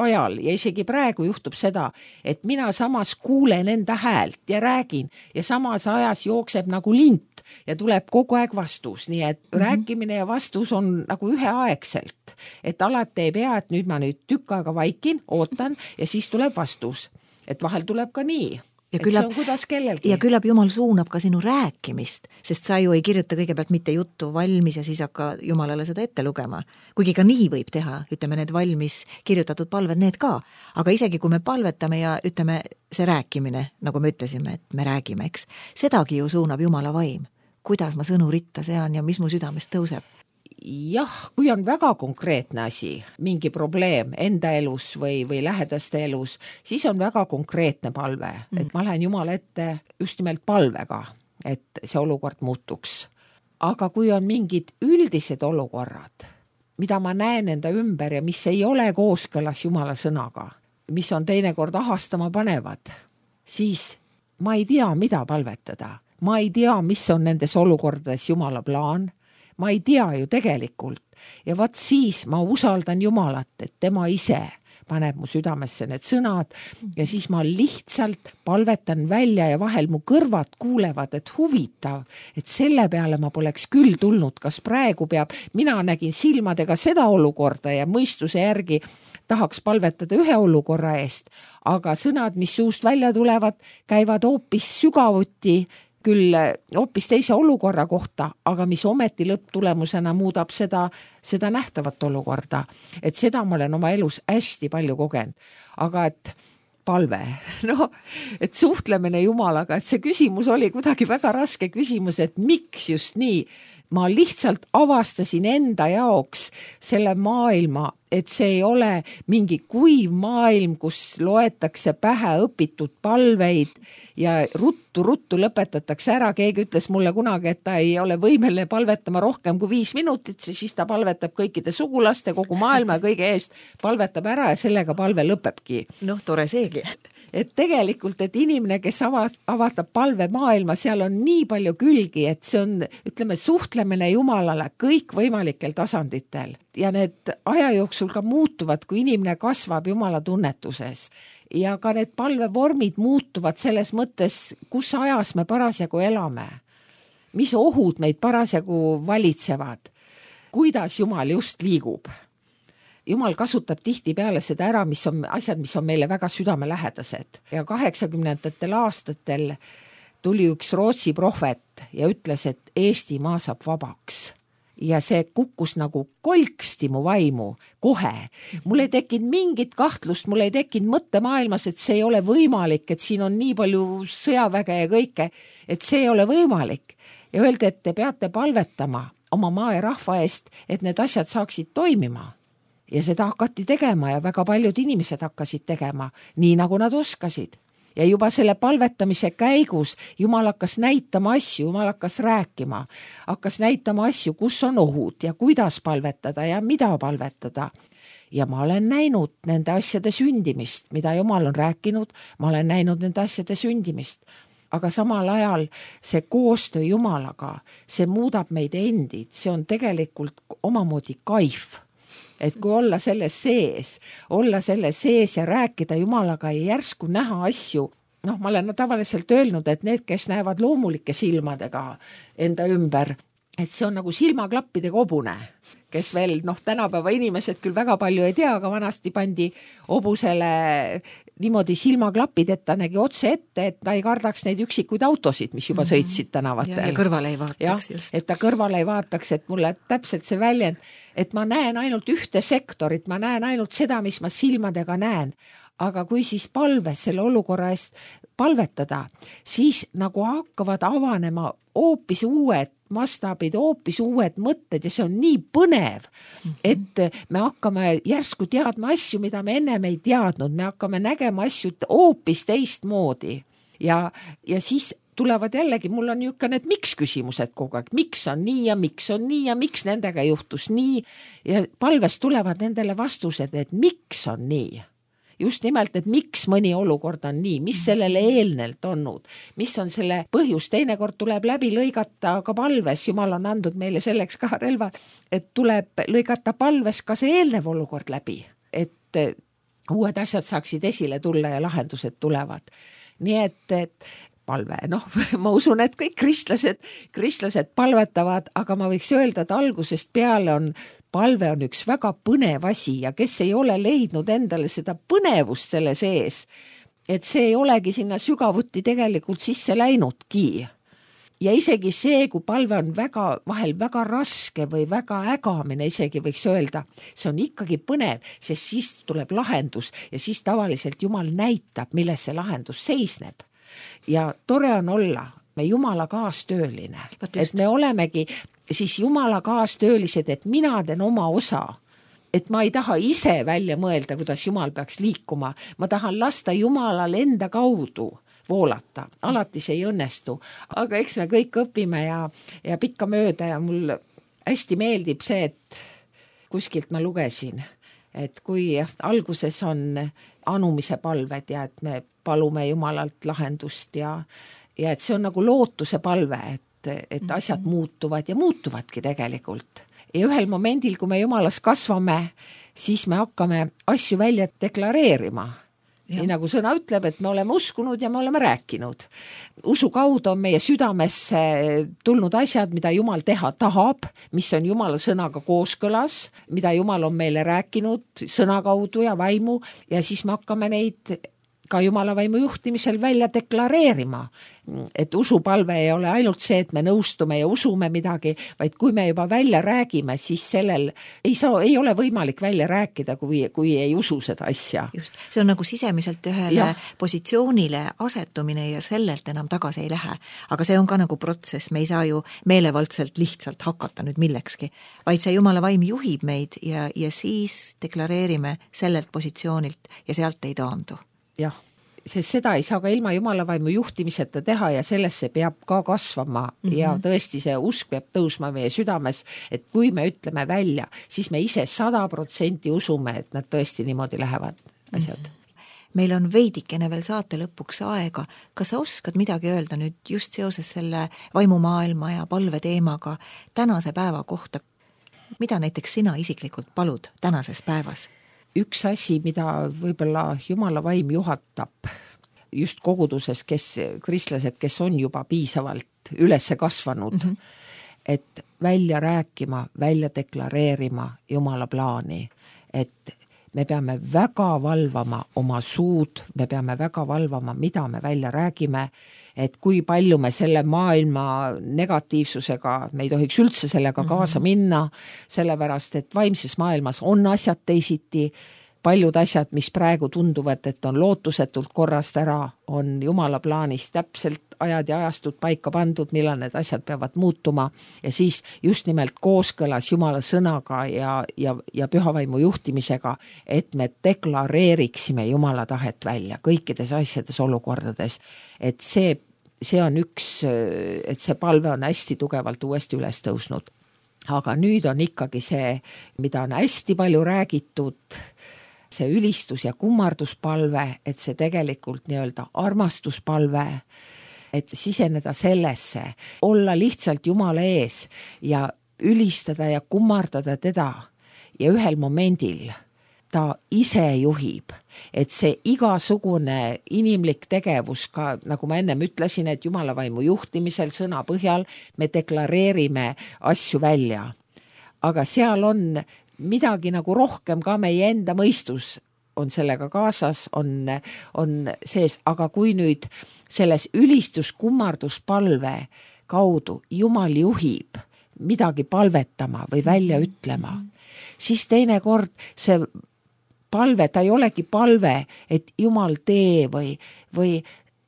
ajal ja isegi praegu juhtub seda, et mina samas kuulen enda häält ja räägin ja samas ajas jookseb nagu lint ja tuleb kogu aeg vastus, nii et rääkimine ja vastus on nagu üheaegselt, et alati ei pea, et nüüd ma tükk aega vaikin, ootan ja siis tuleb vastus, et vahel tuleb ka nii. Ja et see on kuidas kellelgi. Ja küllap Jumal suunab ka sinu rääkimist, sest sa ju ei kirjuta kõigepealt mitte juttu valmis ja siis hakka Jumalale seda ette lugema. Kuigi ka nii võib teha, ütleme need valmis kirjutatud palved, need ka. Aga isegi kui me palvetame ja ütleme see rääkimine, nagu me ütlesime, et me räägime, eks, sedagi ju suunab Jumala vaim. Kuidas ma sõnu ritta sean ja mis mu südamest tõuseb? Jah, kui on väga konkreetne asi, mingi probleem enda elus või lähedaste elus, siis on väga konkreetne palve, et ma lähen Jumala ette just nimelt palvega, et see olukord muutuks. Aga kui on mingid üldised olukorrad, mida ma näen enda ümber ja mis ei ole kooskõlas Jumala sõnaga, mis on teinekord ahastama panevad, siis ma ei tea, mida palvetada. Ma ei tea, mis on nendes olukordades Jumala plaan. Ma ei tea ju tegelikult ja vaat siis ma usaldan Jumalat, et tema ise paneb mu südamesse need sõnad ja siis ma lihtsalt palvetan välja ja vahel mu kõrvad kuulevad, et huvitav, et selle peale ma poleks küll tulnud, kas praegu peab, mina nägin silmadega seda olukorda ja mõistuse järgi tahaks palvetada ühe olukorra eest, aga sõnad, mis suust välja tulevad, käivad hoopis sügavuti, küll hoopis teise olukorra kohta, aga mis ometi lõpptulemusena muudab seda nähtavat olukorda. Et seda ma olen oma elus hästi palju kogenud. Aga et palve, et suhtlemine Jumalaga, et see küsimus oli kuidagi väga raske küsimus, et miks just nii. Ma lihtsalt avastasin enda jaoks selle maailma, et see ei ole mingi kuiv maailm, kus loetakse pähe õpitud palveid ja ruttu lõpetatakse ära. Keegi ütles mulle kunagi, et ta ei ole võimeline palvetama rohkem kui 5 minutit, siis ta palvetab kõikide sugulaste, kogu maailma ja kõige eest palvetab ära ja sellega palve lõpebki. Tore seegi. Et tegelikult, et inimene, kes avatab palve maailma, seal on nii palju külgi, et see on, ütleme, suhtlemine Jumalale kõik võimalikel tasanditel. Ja need aja jooksul ka muutuvad, kui inimene kasvab Jumala tunnetuses. Ja ka need palvevormid muutuvad selles mõttes, kus ajas me parasjagu elame. Mis ohud meid parasjagu valitsevad. Kuidas Jumal just liigub. Jumal kasutab tihtipeale seda ära, mis on asjad, mis on meile väga südamelähedased. Ja 80ndatel aastatel tuli üks Rootsi prohvet ja ütles, et Eestimaa saab vabaks. Ja see kukkus nagu kolksti mu vaimu kohe. Mul ei tekkinud mingit kahtlust, mul ei tekkinud mõttemaailmas, et see ei ole võimalik, et siin on nii palju sõjaväge ja kõike, et see ei ole võimalik. Ja öeldi, et te peate palvetama oma maa ja rahva eest, et need asjad saaksid toimima. Ja seda hakati tegema ja väga paljud inimesed hakkasid tegema, nii nagu nad oskasid. Ja juba selle palvetamise käigus Jumal hakkas näitama asju, Jumal hakkas rääkima, hakkas näitama asju, kus on ohud ja kuidas palvetada ja mida palvetada. Ja ma olen näinud nende asjade sündimist, mida Jumal on rääkinud, ma olen näinud nende asjade sündimist. Aga samal ajal see koostöö Jumalaga, see muudab meid endid, see on tegelikult omamoodi kaif. Et kui olla selles sees ja rääkida Jumalaga ja järsku näha asju, ma olen tavaliselt öelnud, et need, kes näevad loomulike silmadega enda ümber, et see on nagu silmaklappide kobune, kes veel, tänapäeva inimesed küll väga palju ei tea, aga vanasti pandi hobusele niimoodi silmaklapid, et ta nägi otse ette, et ta ei kardaks neid üksikuid autosid, mis juba sõitsid tänavatel. Ja kõrvale ei vaataks just. Et ta kõrvale ei vaataks, et mulle täpselt see väljend, et ma näen ainult ühte sektorit, ma näen ainult seda, mis ma silmadega näen, aga kui siis palves selle olukorra eest palvetada, siis nagu hakkavad avanema hoopis uued mastaabid, hoopis uued mõtted ja see on nii põnev, et me hakkame järsku teadma asju, mida me ennem ei teadnud, me hakkame nägema asju hoopis teistmoodi ja siis tulevad jällegi, mul on niisugune need miks küsimused kogu aeg, miks on nii ja miks on nii ja miks nendega juhtus nii ja palves tulevad nendele vastused, et miks on nii. Just nimelt, et miks mõni olukord on nii, mis sellele eelnelt olnud, mis on selle põhjus, teinekord tuleb läbi lõigata ka palves, Jumal on andnud meile selleks ka relvad, et tuleb lõigata palves ka see eelnev olukord läbi, et uued asjad saaksid esile tulla ja lahendused tulevad. Nii et palve, ma usun, et kõik kristlased palvetavad, aga ma võiks öelda, et algusest peale palve on üks väga põnev asi ja kes ei ole leidnud endale seda põnevust selle sees, et see ei olegi sinna sügavuti tegelikult sisse läinudki. Ja isegi see, kui palve on vahel väga raske või väga ägamine, isegi võiks öelda, see on ikkagi põnev, sest siis tuleb lahendus ja siis tavaliselt Jumal näitab, milles see lahendus seisneb. Ja tore on olla me Jumala kaastööline, et me olemegi siis Jumala kaastöölised, et mina teen oma osa, et ma ei taha ise välja mõelda, kuidas Jumal peaks liikuma, ma tahan lasta Jumalal enda kaudu voolata, alati see ei õnnestu, aga eks me kõik õpime ja pikka mööda ja mul hästi meeldib see, et kuskilt ma lugesin, et kui alguses on anumise palved ja et me palume Jumalalt lahendust ja et see on nagu lootuse palve, et asjad muutuvad ja muutuvadki tegelikult. Ja ühel momendil, kui me Jumalas kasvame, siis me hakkame asju välja deklareerima. Nii nagu sõna ütleb, et me oleme uskunud ja me oleme rääkinud. Usu kaudu on meie südamesse tulnud asjad, mida Jumal teha tahab, mis on Jumala sõnaga kooskõlas, mida Jumal on meile rääkinud sõna kaudu ja vaimu ja siis me hakkame neid ka Jumala vaimu juhtimisel välja deklareerima. Et usupalve ei ole ainult see, et me nõustume ja usume midagi, vaid kui me juba välja räägime, siis sellel ei ole võimalik välja rääkida, kui ei usu seda asja. Just, see on nagu sisemiselt ühele positsioonile asetumine ja sellelt enam tagasi ei lähe. Aga see on ka nagu protsess, me ei saa ju meelevaldselt lihtsalt hakata nüüd millekski, vaid see Jumala vaim juhib meid ja siis deklareerime sellelt positsioonilt ja sealt ei taandu. Jah, sest seda ei saa ka ilma Jumala vaimu juhtimiseta teha ja sellesse peab ka kasvama ja tõesti see usk peab tõusma meie südames, et kui me ütleme välja, siis me ise 100% usume, et nad tõesti niimoodi lähevad asjad. Meil on veidikene veel saate lõpuks aega. Kas sa oskad midagi öelda nüüd just seoses selle vaimumaailma ja palve teemaga tänase päeva kohta? Mida näiteks sina isiklikult palud tänases päevas? Üks asi, mida võib-olla Jumala vaim juhatab just koguduses, kristlased, kes on juba piisavalt ülesse kasvanud, et välja rääkima, välja deklareerima Jumala plaani, et me peame väga valvama oma suud, me peame väga valvama, mida me välja räägime, et kui palju me selle maailma negatiivsusega, me ei tohiks üldse sellega kaasa minna, sellepärast, et vaimses maailmas on asjad teisiti, paljud asjad, mis praegu tunduvad, et on lootusetult korrast ära, on Jumala plaanis täpselt ajad ja ajastud paika pandud, millal need asjad peavad muutuma ja siis just nimelt kooskõlas Jumala sõnaga ja pühavaimu juhtimisega, et me deklareeriksime Jumala tahet välja kõikides asjades olukordades, et see on et see palve on hästi tugevalt uuesti üles tõusnud. Aga nüüd on ikkagi see, mida on hästi palju räägitud, see ülistus- ja kummarduspalve, et see tegelikult nii-öelda armastuspalve, et siseneda sellesse, olla lihtsalt Jumala ees ja ülistada ja kummardada teda ja ühel momendil ta ise juhib, et see igasugune inimlik tegevus ka, nagu ma ennem ütlesin, et Jumala vaimu juhtimisel sõna põhjal me deklareerime asju välja. Aga seal on midagi nagu rohkem ka meie enda mõistus on sellega kaasas, on sees, aga kui nüüd selles ülistus-kummarduspalve kaudu Jumal juhib midagi palvetama või välja ütlema, siis teinekord see palve, ta ei olegi palve, et Jumal tee või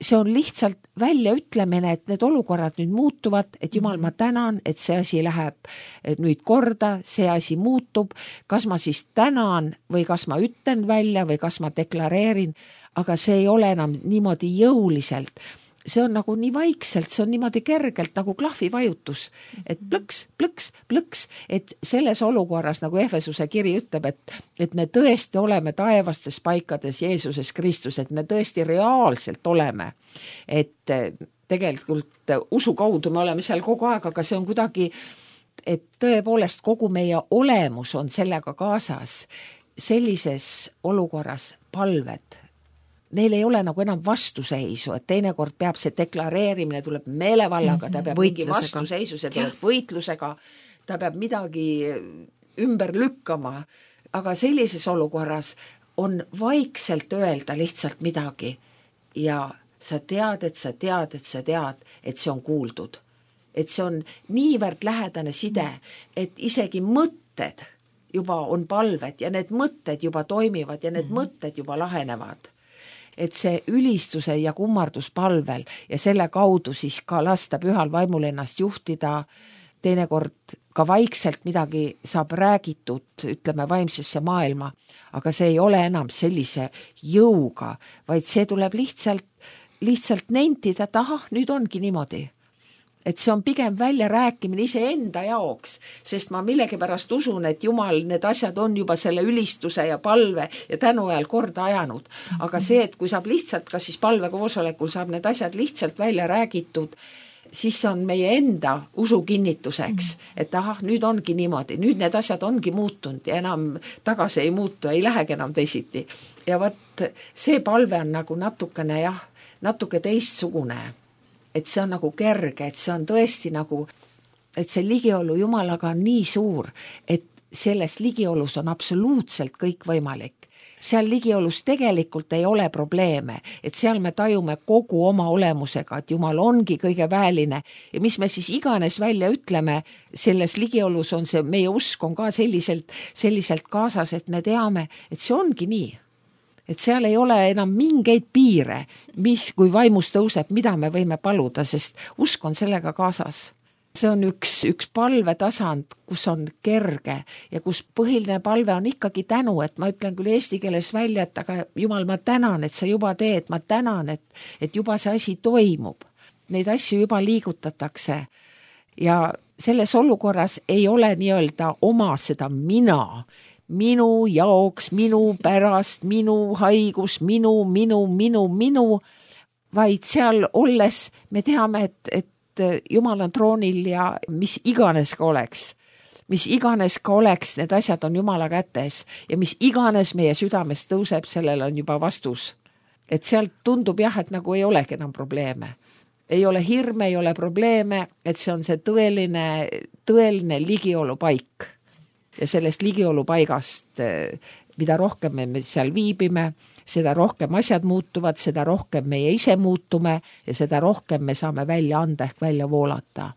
see on lihtsalt väljaütlemine, et need olukorrad nüüd muutuvad, et Jumal, ma tänan, et see asi läheb nüüd korda, see asi muutub, kas ma siis tänan või kas ma ütlen välja või kas ma deklareerin, aga see ei ole enam niimoodi jõuliselt. See on nagu nii vaikselt, see on niimoodi kergelt nagu klahvivajutus, et plõks, plõks, plõks, et selles olukorras, nagu Efesuse kiri ütleb, et me tõesti oleme taevastes paikades Jeesuses Kristus, et me tõesti reaalselt oleme, et tegelikult usu kaudu me oleme seal kogu aeg, aga see on kuidagi, et tõepoolest kogu meie olemus on sellega kaasas, sellises olukorras palved. Neil ei ole nagu enam vastuseisu, et teinekord peab see deklareerimine, tuleb meelevallaga, ta peab mingi vastuseisu, see tuleb võitlusega, ta peab midagi ümber lükkama, aga sellises olukorras on vaikselt öelda lihtsalt midagi ja sa tead, et sa tead, et sa tead, et see on kuuldud. Et see on niivõrd lähedane side, et isegi mõtted juba on palved ja need mõtted juba toimivad ja need mõtted juba lahenevad. Et see ülistuse ja kummarduspalvel ja selle kaudu siis ka lasta pühal vaimul ennast juhtida, teinekord ka vaikselt midagi saab räägitud, ütleme, vaimsesse maailma, aga see ei ole enam sellise jõuga, vaid see tuleb lihtsalt nentida, et ahah, nüüd ongi niimoodi. Et see on pigem välja rääkimine iseenda jaoks, sest ma millegipärast usun, et Jumal need asjad on juba selle ülistuse ja palve ja tänu ajal korda ajanud. Aga see, et kui saab lihtsalt, kas siis palvekoosolekul saab need asjad lihtsalt välja räägitud, siis on meie enda usu kinnituseks, et ahah, nüüd ongi niimoodi, nüüd need asjad ongi muutunud ja enam tagasi ei muutu, ei lähegi enam teisiti. Ja võt, see palve on nagu natukene, natuke teistsugune. Et see on nagu kerge, et see on tõesti nagu, et see ligiolu Jumalaga on nii suur, et selles ligiolus on absoluutselt kõik võimalik. Seal ligiolus tegelikult ei ole probleeme, et seal me tajume kogu oma olemusega, et Jumal ongi kõige väeline ja mis me siis iganes välja ütleme, selles ligiolus on see, meie usk on ka selliselt kaasas, et me teame, et see ongi nii. Et seal ei ole enam mingeid piire, mis kui vaimus tõuseb, mida me võime paluda, sest usk on sellega kaasas. See on üks palvetasand, kus on kerge ja kus põhiline palve on ikkagi tänu, et ma ütlen küll eesti keeles välja, et aga Jumal, ma tänan, et sa juba teed, ma tänan, et juba see asi toimub. Neid asju juba liigutatakse ja selles olukorras ei ole nii-öelda oma seda minu jaoks, minu pärast, minu haigus, minu, vaid seal olles me teame, et Jumal on troonil ja mis iganes ka oleks, need asjad on Jumala kätes ja mis iganes meie südames tõuseb, sellel on juba vastus. Et sealt tundub et nagu ei olegi enam probleeme. Ei ole hirme, ei ole probleeme, et see on see tõeline ligiolu paik. Ja sellest ligiolu paigast, mida rohkem me seal viibime, seda rohkem asjad muutuvad, seda rohkem meie ise muutume ja seda rohkem me saame välja anda ehk välja voolata.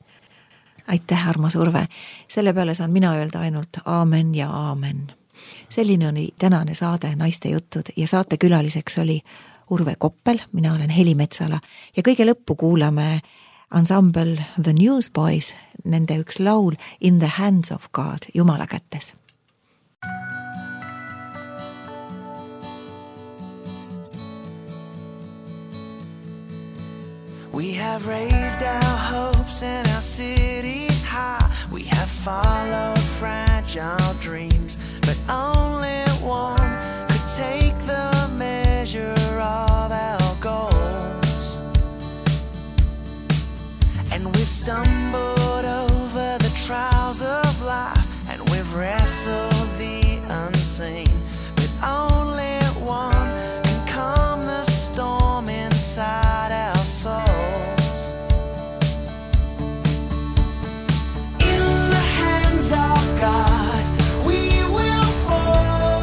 Aitäh, armas Urve. Selle peale saan mina öelda ainult aamen ja aamen. Selline oli tänane saade Naiste jutud ja saatekülaliseks oli Urve Koppel, mina olen Heli Metsala ja kõige lõppu kuulame ansambel The Newsboys, nende üks laul In the Hands of God, Jumala kätes. We have raised our hopes and our cities high. We have followed fragile dreams, but only one could take the measure of our goals. And we've stumbled over the trials of life, and we've wrestled the unseen, but only one can calm the storm inside our souls. In the hands of God we will fall.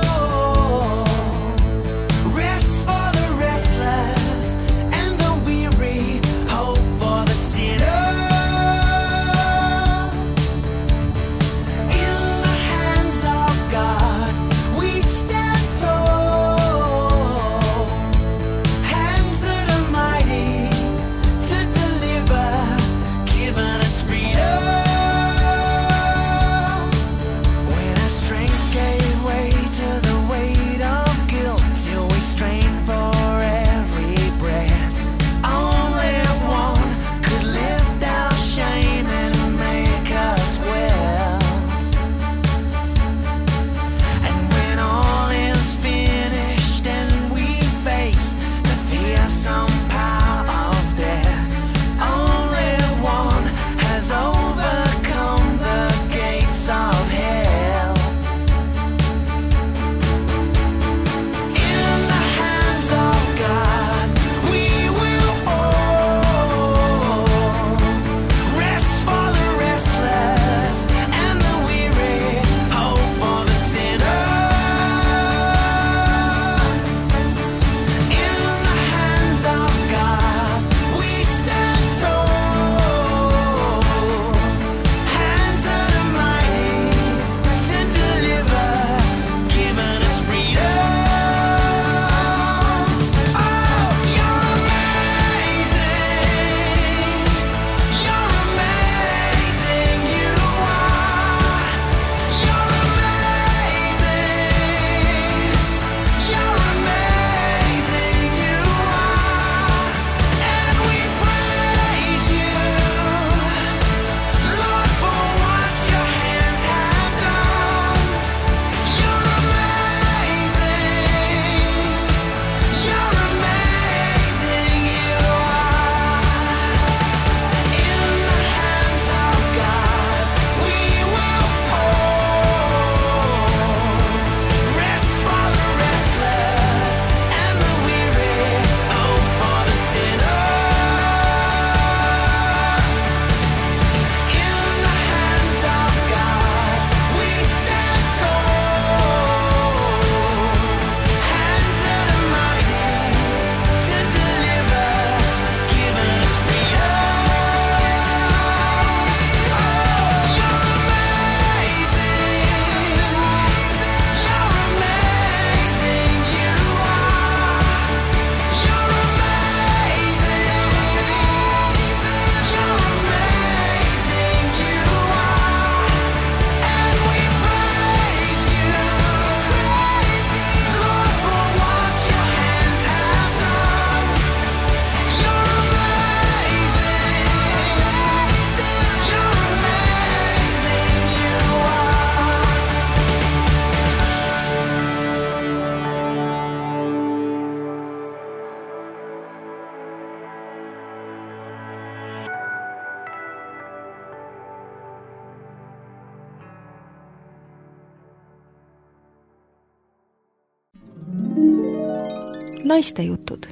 Naistejutud